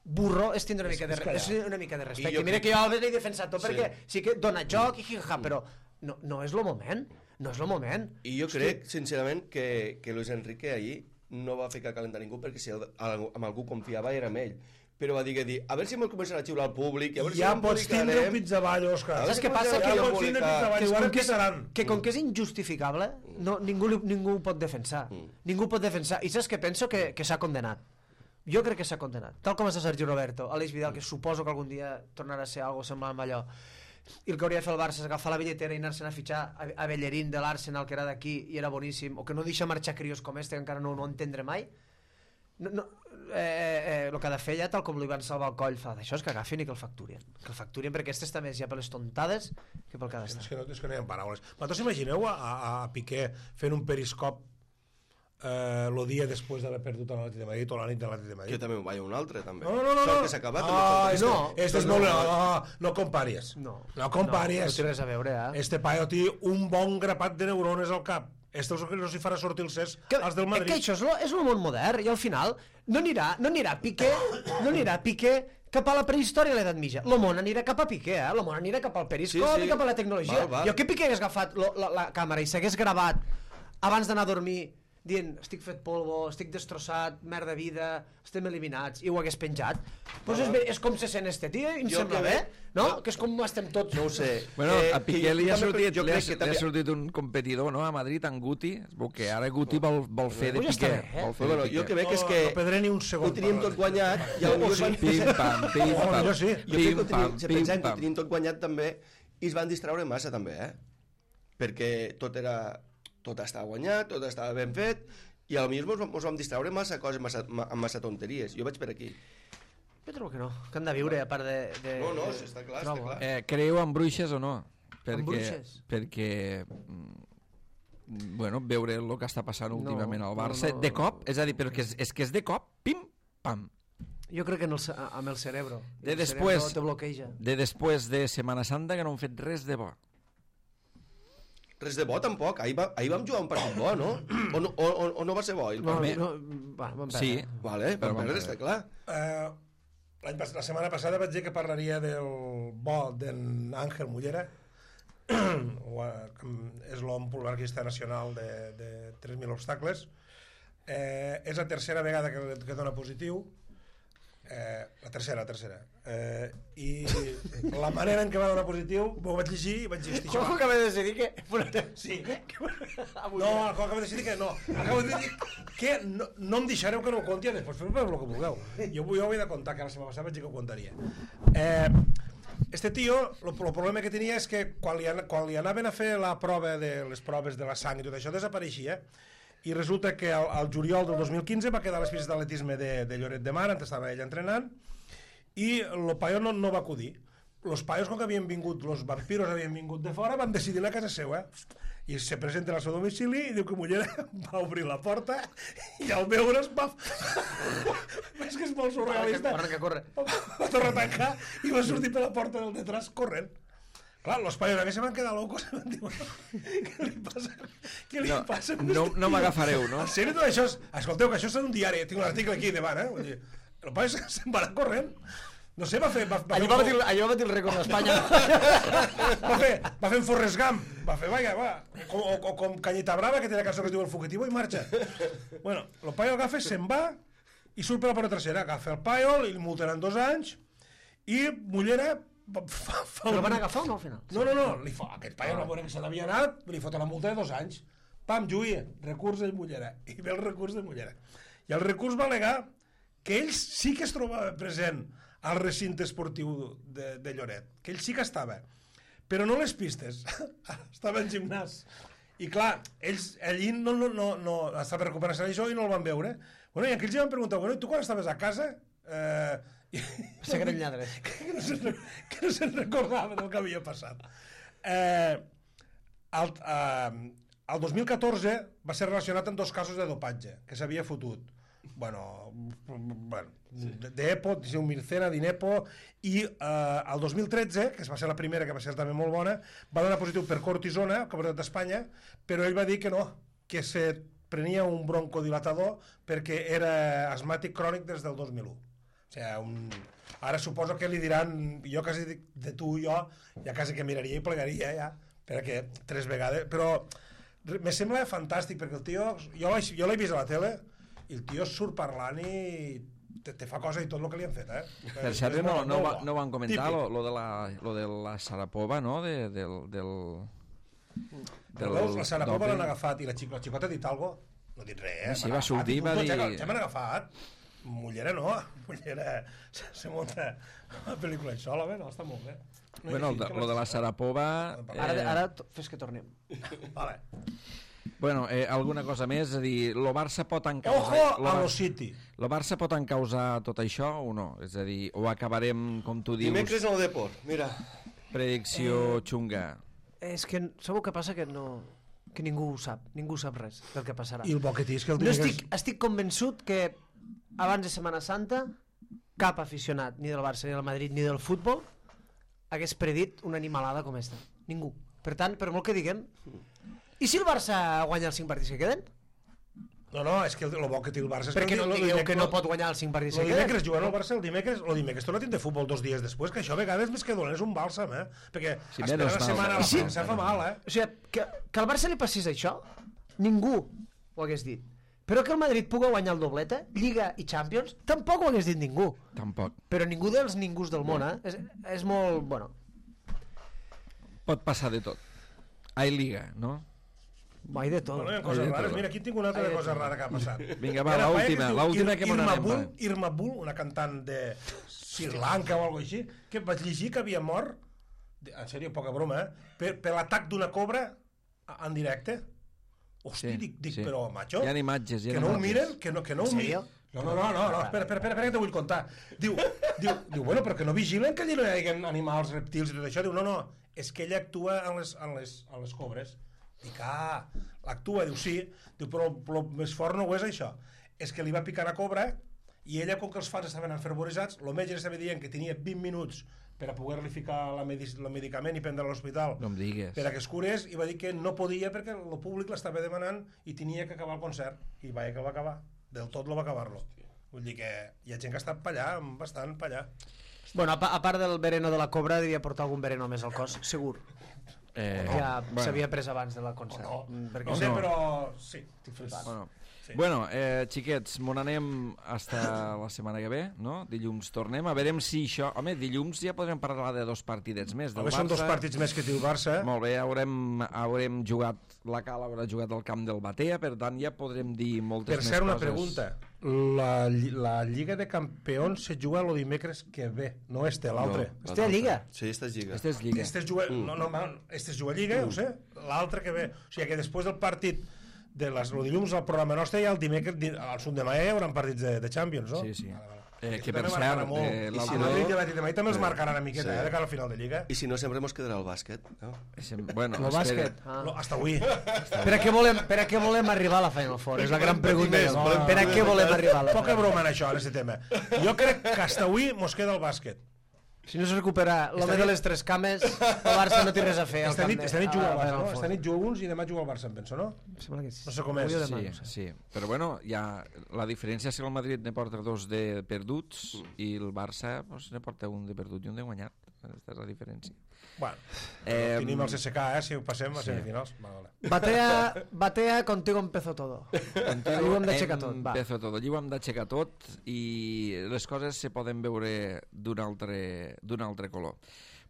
burro, és tindre una mica de, és una mica de respecte. I mira que jo a l'he defensat tot, sí. perquè sí que dona joc i jija, però no, no és el moment. No és el moment. I jo crec, sincerament, que, que Luis Enrique ahir no va ficar calent a ningú perquè si amb algú confiava era amb ell. però va dir que dir, a veure si me'l començarà a xiular al públic, a veure Ja si pots tindre un pizzaball, Òscar. Saps què passa? Ja Que- pots tindre pizzaball, que, i com ara que, és, pitaran. que com que és injustificable, no, ningú, li- ningú ho pot defensar. Ningú ho pot defensar. I saps què penso? Que, que s'ha condenat. Jo crec que s'ha condenat. Tal com està Sergi Roberto, Aleix Vidal, que suposo que algun dia tornarà a ser algo semblant a allò. I el que hauria de fer el Barça és agafar la billetera i anar-se'n a fitxar a, a Bellerín de l'Arsenal, que era d'aquí i era boníssim, o que no deixa marxar crios com este, que encara no, no ho entendré mai. No, no, eh, eh, el que ha de fer ja, tal com li van salvar el coll, fa d'això és que agafin i que el facturien. Que el facturien, perquè aquest està més ja per les tontades que pel que ha És d'estar. que no, és que no hi ha paraules. Vosaltres imagineu a, a, a Piqué fent un periscop eh, el dia després d'haver perdut a l'Atlètic de Madrid o la nit de l'Atlètic de Que Madrid? també me'n vaig a un altre, també. No, no, no, no. Sort que s'ha acabat. Ah, este, no. este és No, molt... no. No, no comparis. No, No comparis. No, no té res a veure, eh? Este paio té un bon grapat de neurones al cap. Este és el que no s'hi farà sortir el cés Que, als del Madrid. que això és lo, és el món modern i al final no anirà, no anirà Piqué no anirà Piqué cap a la prehistòria i l'edat mitja. Lo món anirà cap a Piqué, eh? Lo món anirà cap al periscop Sí, sí. i cap a la tecnologia. Val, val. Jo que Piqué hagués agafat lo, la, la càmera i s'hagués gravat abans d'anar a dormir dient, estic fet polvo, estic destrossat, merda vida, estem eliminats, i ho hagués penjat, doncs és, bé, és com se sent este tio, i em Jo sembla que bé, ve- no? jo- Que és com estem tots. No ho sé. Bueno, Eh, a Piqué que li ha, jo també sortit, crec- jo li, ha, crec que li ha també- sortit un competidor, no?, a Madrid, en Guti, es veu que ara Guti vol, vol fer de Pues ja està Piqué. bé, eh? Vol fer Però de bueno, jo Piqué. que veig és No, que no perdré ni un segon ho teníem per tot guanyat i potser es van... Pim, pam, pim, Oh, pam. jo sí. Jo crec que ho Pim, teníem, pam, si pim, pensem que ho pam. teníem tot guanyat també i es van distraure massa també, eh? Perquè tot era... tot estava guanyat, tot estava ben fet i a lo millor mos, mos vam distraure massa coses, massa, ma- amb massa tonteries. Jo vaig per aquí. Jo trobo que no, que han de viure a part de... de No, no, sí, està clar, està trobo, clar. Eh, creieu en bruixes o no? Perquè, bruixes? Perquè mm, bueno, veure el que està passant No, últimament al no, Barça no. de cop, és a dir, però que és, és que és de cop, pim, pam. Jo crec que en el, ce- amb el cerebro. De el després- cerebro te bloqueja. De després de Setmana Santa que no han fet res de bo. Res de bo tampoc, ahir, va, ahir vam jugar un partit bo, no? O no, o, o, o no va ser bo? ahir el No, partit? no, va, vam perdre. Sí, Vale, Però vam vam perdre, perdre. està clar. Eh, l'any pas- la setmana passada vaig dir que parlaria del bo d'en Àngel Mullera, o, eh, que és l'home polarquista nacional de, de tres mil obstacles. Eh, és la tercera vegada que, que dona positiu, eh, la tercera, la tercera. Eh, I la manera en què va donar positiu, ho vaig llegir i vaig dir, hosti, això Juanjo va- acaba de decidir que... Sí. Avui No, acabo de decidir que no. Acabo de dir que no, no em deixareu que no ho conti, després feu el que vulgueu. Jo, jo ho he de contar, que la setmana passada vaig dir que ho contaria. Eh, este tio, el problema que tenia és que quan li, an- quan li anaven a fer la prova de les proves de la sang i tot això, desapareixia. I resulta que al, al juliol del dos mil quinze va quedar a les pistes d'atletisme de, de Lloret de Mar, on estava ell entrenant, i el paio no, no va acudir. Los paios, com que havien vingut, los vampiros havien vingut de fora, van decidir anar a casa seva. I se presenten al seu domicili i diu que Mullera va obrir la porta i al veure's va... És que és molt surrealista. Corre, que corre. Va tornar a tancar i va sortir per la porta del detrás corrent. Clar, los paios aquí se van quedar locos i van dir, bueno, què li passa? Què li No, passa? no, no m'agafareu, no? En sèrio, tot això és... Escolteu, que això és un diari, tinc un article aquí davant, eh? Vull dir, el paio se'n va anar corrent. No sé, va fer... Va, va Allò fer va un- batir, allò va batir el rècord d'Espanya. va fer, va fer un Forrest Gump, va fer, vaja, va, com, o, o com Canyita Brava, que té la cançó que es diu El Fugitivo, i marxa. Bueno, el paio agafa, se'n va, i surt per la porta trasera, agafa el paio, li multaran dos anys, i Mullera fa, fa, fa Però van agafar o no, al final? No, no, no, li fa, aquest paio no veure que se n'havia anat, li fot la multa de dos anys. Pam, Lluïa, recurs de Mullera. I ve el recurs de Mullera. I el recurs va al·legar que ell sí que es trobava present al recinte esportiu de, de Lloret, que ell sí que estava, però no les pistes, estava en gimnàs. I clar, ells allí no, no, no, no estava recuperant això i no el van veure. Bueno, i aquells ja van preguntar, bueno, i tu quan estaves a casa? Eh, i, Se gran lladre. que no se'n que no se'n recordava del que havia passat. Eh, el, eh, el dos mil catorze va ser relacionat amb dos casos de dopatge que s'havia fotut. Bueno, bueno d'Epo, de un Mircera, d'Inepo, i eh, el dos mil tretze, que va ser la primera, que va ser també molt bona, va donar positiu per cortisona, Campionat d'Espanya, però ell va dir que no, que se prenia un broncodilatador perquè era asmàtic crònic des del dos mil u. O sigui, un... ara suposo que li diran, jo quasi dic, de tu i jo, ja quasi que miraria i plegaria, ja, perquè tres vegades, però me sembla fantàstic, perquè el tio, jo l'he jo l'he vist a la tele, i el tio surt parlant i te, te fa cosa i tot el que li han fet, eh? Per És cert, no, molt- no, molt va, bo. no van comentar Típic. lo, lo, de la, lo de la Sarapova, no? De, del, del, Però veus, la Sarapova doping. l'han agafat i la, xic, la xicota ha dit alguna cosa? No ha dit res, eh? Sí, M'han va agafat sortir, i va punto, dir- Ja, ja m'han agafat. Mullera no, Mullera se, se munta la pel·lícula i sola, bé, no, està molt bé. No, Bueno, i el de, que lo de la vaig- Sarapova... Ara, eh, ara to- fes que tornem. Vale. Bueno, eh, alguna cosa més? És a dir, lo Barça pot Ojo encausar... lo a Bar- lo City. Lo Barça pot encausar tot això o no? És a dir, o acabarem, com tu dius, Dimecres en el Deport, mira. predicció xunga. És que sabeu què passa? Que no... que ningú ho sap, ningú sap res del que passarà. I el bo que té és que el No dimecres... estic, estic convençut que abans de Setmana Santa cap aficionat, ni del Barça, ni del Madrid, ni del futbol, hagués predit una animalada com esta. Ningú. Per tant, per molt que diguem... I si el Barça guanya els cinc partits que queden? No, no, és que el, el bo que té el Barça... És Perquè que no el, digueu dimecres- que no pot guanyar els cinc partits El que queden? dimecres jugant al Barça, el dimecres, el dimecres torna a tindre futbol dos dies després, que això a vegades més que dolent és un bàlsam, eh? Perquè Sí, esperar menys una mal. setmana a la Sí. premsa fa mal, eh? O sigui, que, que al Barça li passés això, ningú ho hagués dit. Però que el Madrid pugui guanyar el doblete, Lliga i Champions, tampoc ho hagués dit ningú. Tampoc. Però ningú dels ningus del món, eh? És, és molt... Bueno, Pot passar de tot. Ai, Liga, no? mai de tot. Bueno, hi ha Ai, coses de rares. tot. Mira, aquí tinc una altra Ai, de cosa tot. rara que ha passat. Vinga, va, Hi ha una paia l'última, es diu l'última Ir- que me Irma n'anem, Bull, va. Irma Bull, una cantant de Sri Lanka o alguna així, que vaig llegir que havia mort, en sèrio, poca broma, eh? Per, per l'atac d'una cobra en directe. Hosti, Sí, dic, dic sí. però, macho, Hi ha imatges, hi ha que no ho imatges. miren, que no, que no ho En miren. sèrio? No, no, no, no, no, espera, espera, espera, espera, que te vull contar. Diu, diu, diu, bueno, però que no vigilen que allà no hi hagi animals, reptils i tot això. Diu, no, no, és que ella actua en les, en les, en les cobres. Dic, ah, l'actua, diu, sí. Diu, però el més fort no ho és això. És que li va picar la cobra i ella, com que els fans estaven enfervoritzats, el metge estava dient que tenia vint minuts per a poder-li ficar la medic el medicament i prendre a l'hospital No em digues. per a que es curés, i va dir que no podia perquè el públic l'estava demanant i tenia que acabar el concert, i vaja que el va acabar del tot lo va acabar-lo. Vull dir que hi ha gent que està pa allà, bastant pa allà. Bueno, a, pa- a part del vereno de la cobra, devia portar algun vereno més al cos, segur. Eh, Ja bueno. s'havia pres abans de la concert. No, Mm, perquè no sé, no. però sí, estic flipant. Bueno, Sí. bueno eh, xiquets, me n'anem hasta la setmana que ve, no? Dilluns tornem, a veurem si això... Home, dilluns ja podrem parlar de dos partidets més del Home, Barça. són dos partits més que té el Barça. Molt bé, haurem, haurem jugat, la Cala haurà jugat al camp del Batea, per tant ja podrem dir moltes Per més cert, una coses. pregunta. La, lli- la Lliga de Campions se juga el dimecres que ve, no este, l'altre. No, Este a Lliga? Sí, esta és Lliga. Aquesta és Lliga. Este es juga, no, no, mal, este es juga Lliga, ho sé, l'altre que ve. O sigui que després del partit de les, el dilluns al programa nostre i el dimecres, di- al sud de Maia hi haurà partits de, de Champions, no? Sí, sí. Vale, vale. Eh, Això que per també marcarà cert, molt. eh, I l'altre- si el Madrid i l'Atlètic de Madrid també els marcaran una miqueta, Sí. eh, de cara al final de Lliga. I si no, sempre mos quedarà el bàsquet. No? Sem- Bueno, El espera. bàsquet. Ah. No, hasta avui. Per a què volem, per a què volem arribar a la Final Four? És la gran pregunta. més, volem Per a què volem arribar a la Poca Final Four? broma en això, en aquest tema. Jo crec que hasta avui mos queda el bàsquet. Si no es recupera l'home Esta de nit- les tres cames, el Barça no té res a fer. al Esta camp nit, de- esta nit a juga la el Barça, Final no? Four. Esta nit juga alguns i demà juga el Barça, em penso, no? Em sembla que sí. No sé com és. Avui o demà, Sí, no sé. sí, però bueno, ja, la diferència és que el Madrid ne porta dos de perduts i el Barça pues, ne porta un de perdut i un de guanyat. Aquesta és la diferència. Bueno, Eh, tenim el C S K, eh, si ho passem a sí. semifinals. Vale, vale. Batea, batea, contigo empezó todo. Allí ho hem d'aixecar tot. Va. Empezo tot. Allí ho hem d'aixecar tot i les coses se poden veure d'un altre, d'un altre color.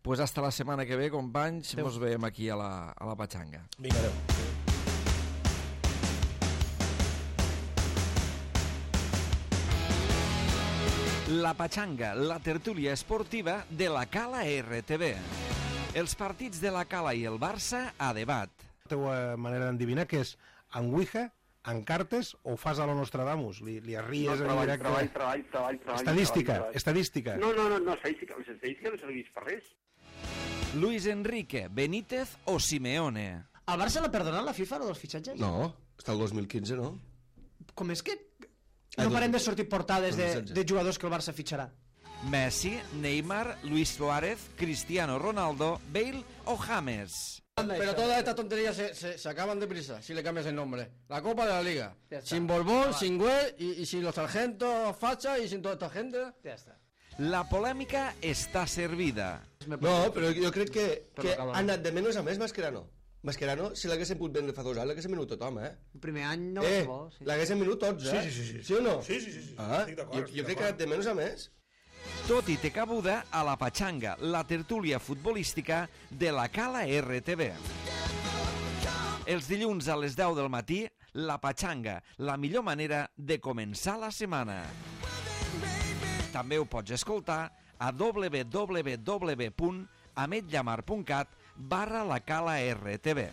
Pues hasta la setmana que ve, companys, Adéu. ens veiem aquí a la, a la Patxanga. Vinga, adéu. La Patxanga, la tertúlia esportiva de la Cala R T V. Els partits de la Cala i el Barça a debat. La teva manera d'endevinar que és en Ouija, en cartes o ho fas a la Nostradamus? Li, li arries No, en treball, directe? treball, treball, treball, treball. Estadística, treball, treball. estadística. No, no, no, no, estadística, les estadístiques no serveix per res. Luis Enrique, Benítez o Simeone? Al Barça l'ha perdonat la FIFA, lo dels fitxatges? No, està el dos mil quinze, no? Com és que Ah, no dos- parem de sortir portades de, dos mil setze. de jugadors que el Barça fitxarà? Messi, Neymar, Luis Suárez, Cristiano Ronaldo, Bale o James? Pero todas estas tonterías se, se, se acaban deprisa si le cambias el nombre. La Copa de la Liga. Ya está. Sin Borbón, sin Güell y, y sin los sargentos facha y sin toda esta gente. Ja està. La polèmica està servida. No, però jo crec que, Però que acaba. ha anat de menys a més Mascherano. Mascherano, si l'haguessin pogut vendre fa dos anys, l'haguessin venut tothom, eh? El primer any no Eh, va ser bo. Sí. l'haguessin venut tots, eh? Sí, sí, sí, sí. Sí o no? Sí, sí, sí, sí. Ah, Estic d'acord, jo, estic jo crec d'acord. que de menys a més. Tot i té cabuda a la Patxanga, la tertúlia futbolística de la Cala R T V. Els dilluns a les deu del matí, la Patxanga, la millor manera de començar la setmana. També ho pots escoltar a w w w punt ametllamar punt cat barra la Cala R T V.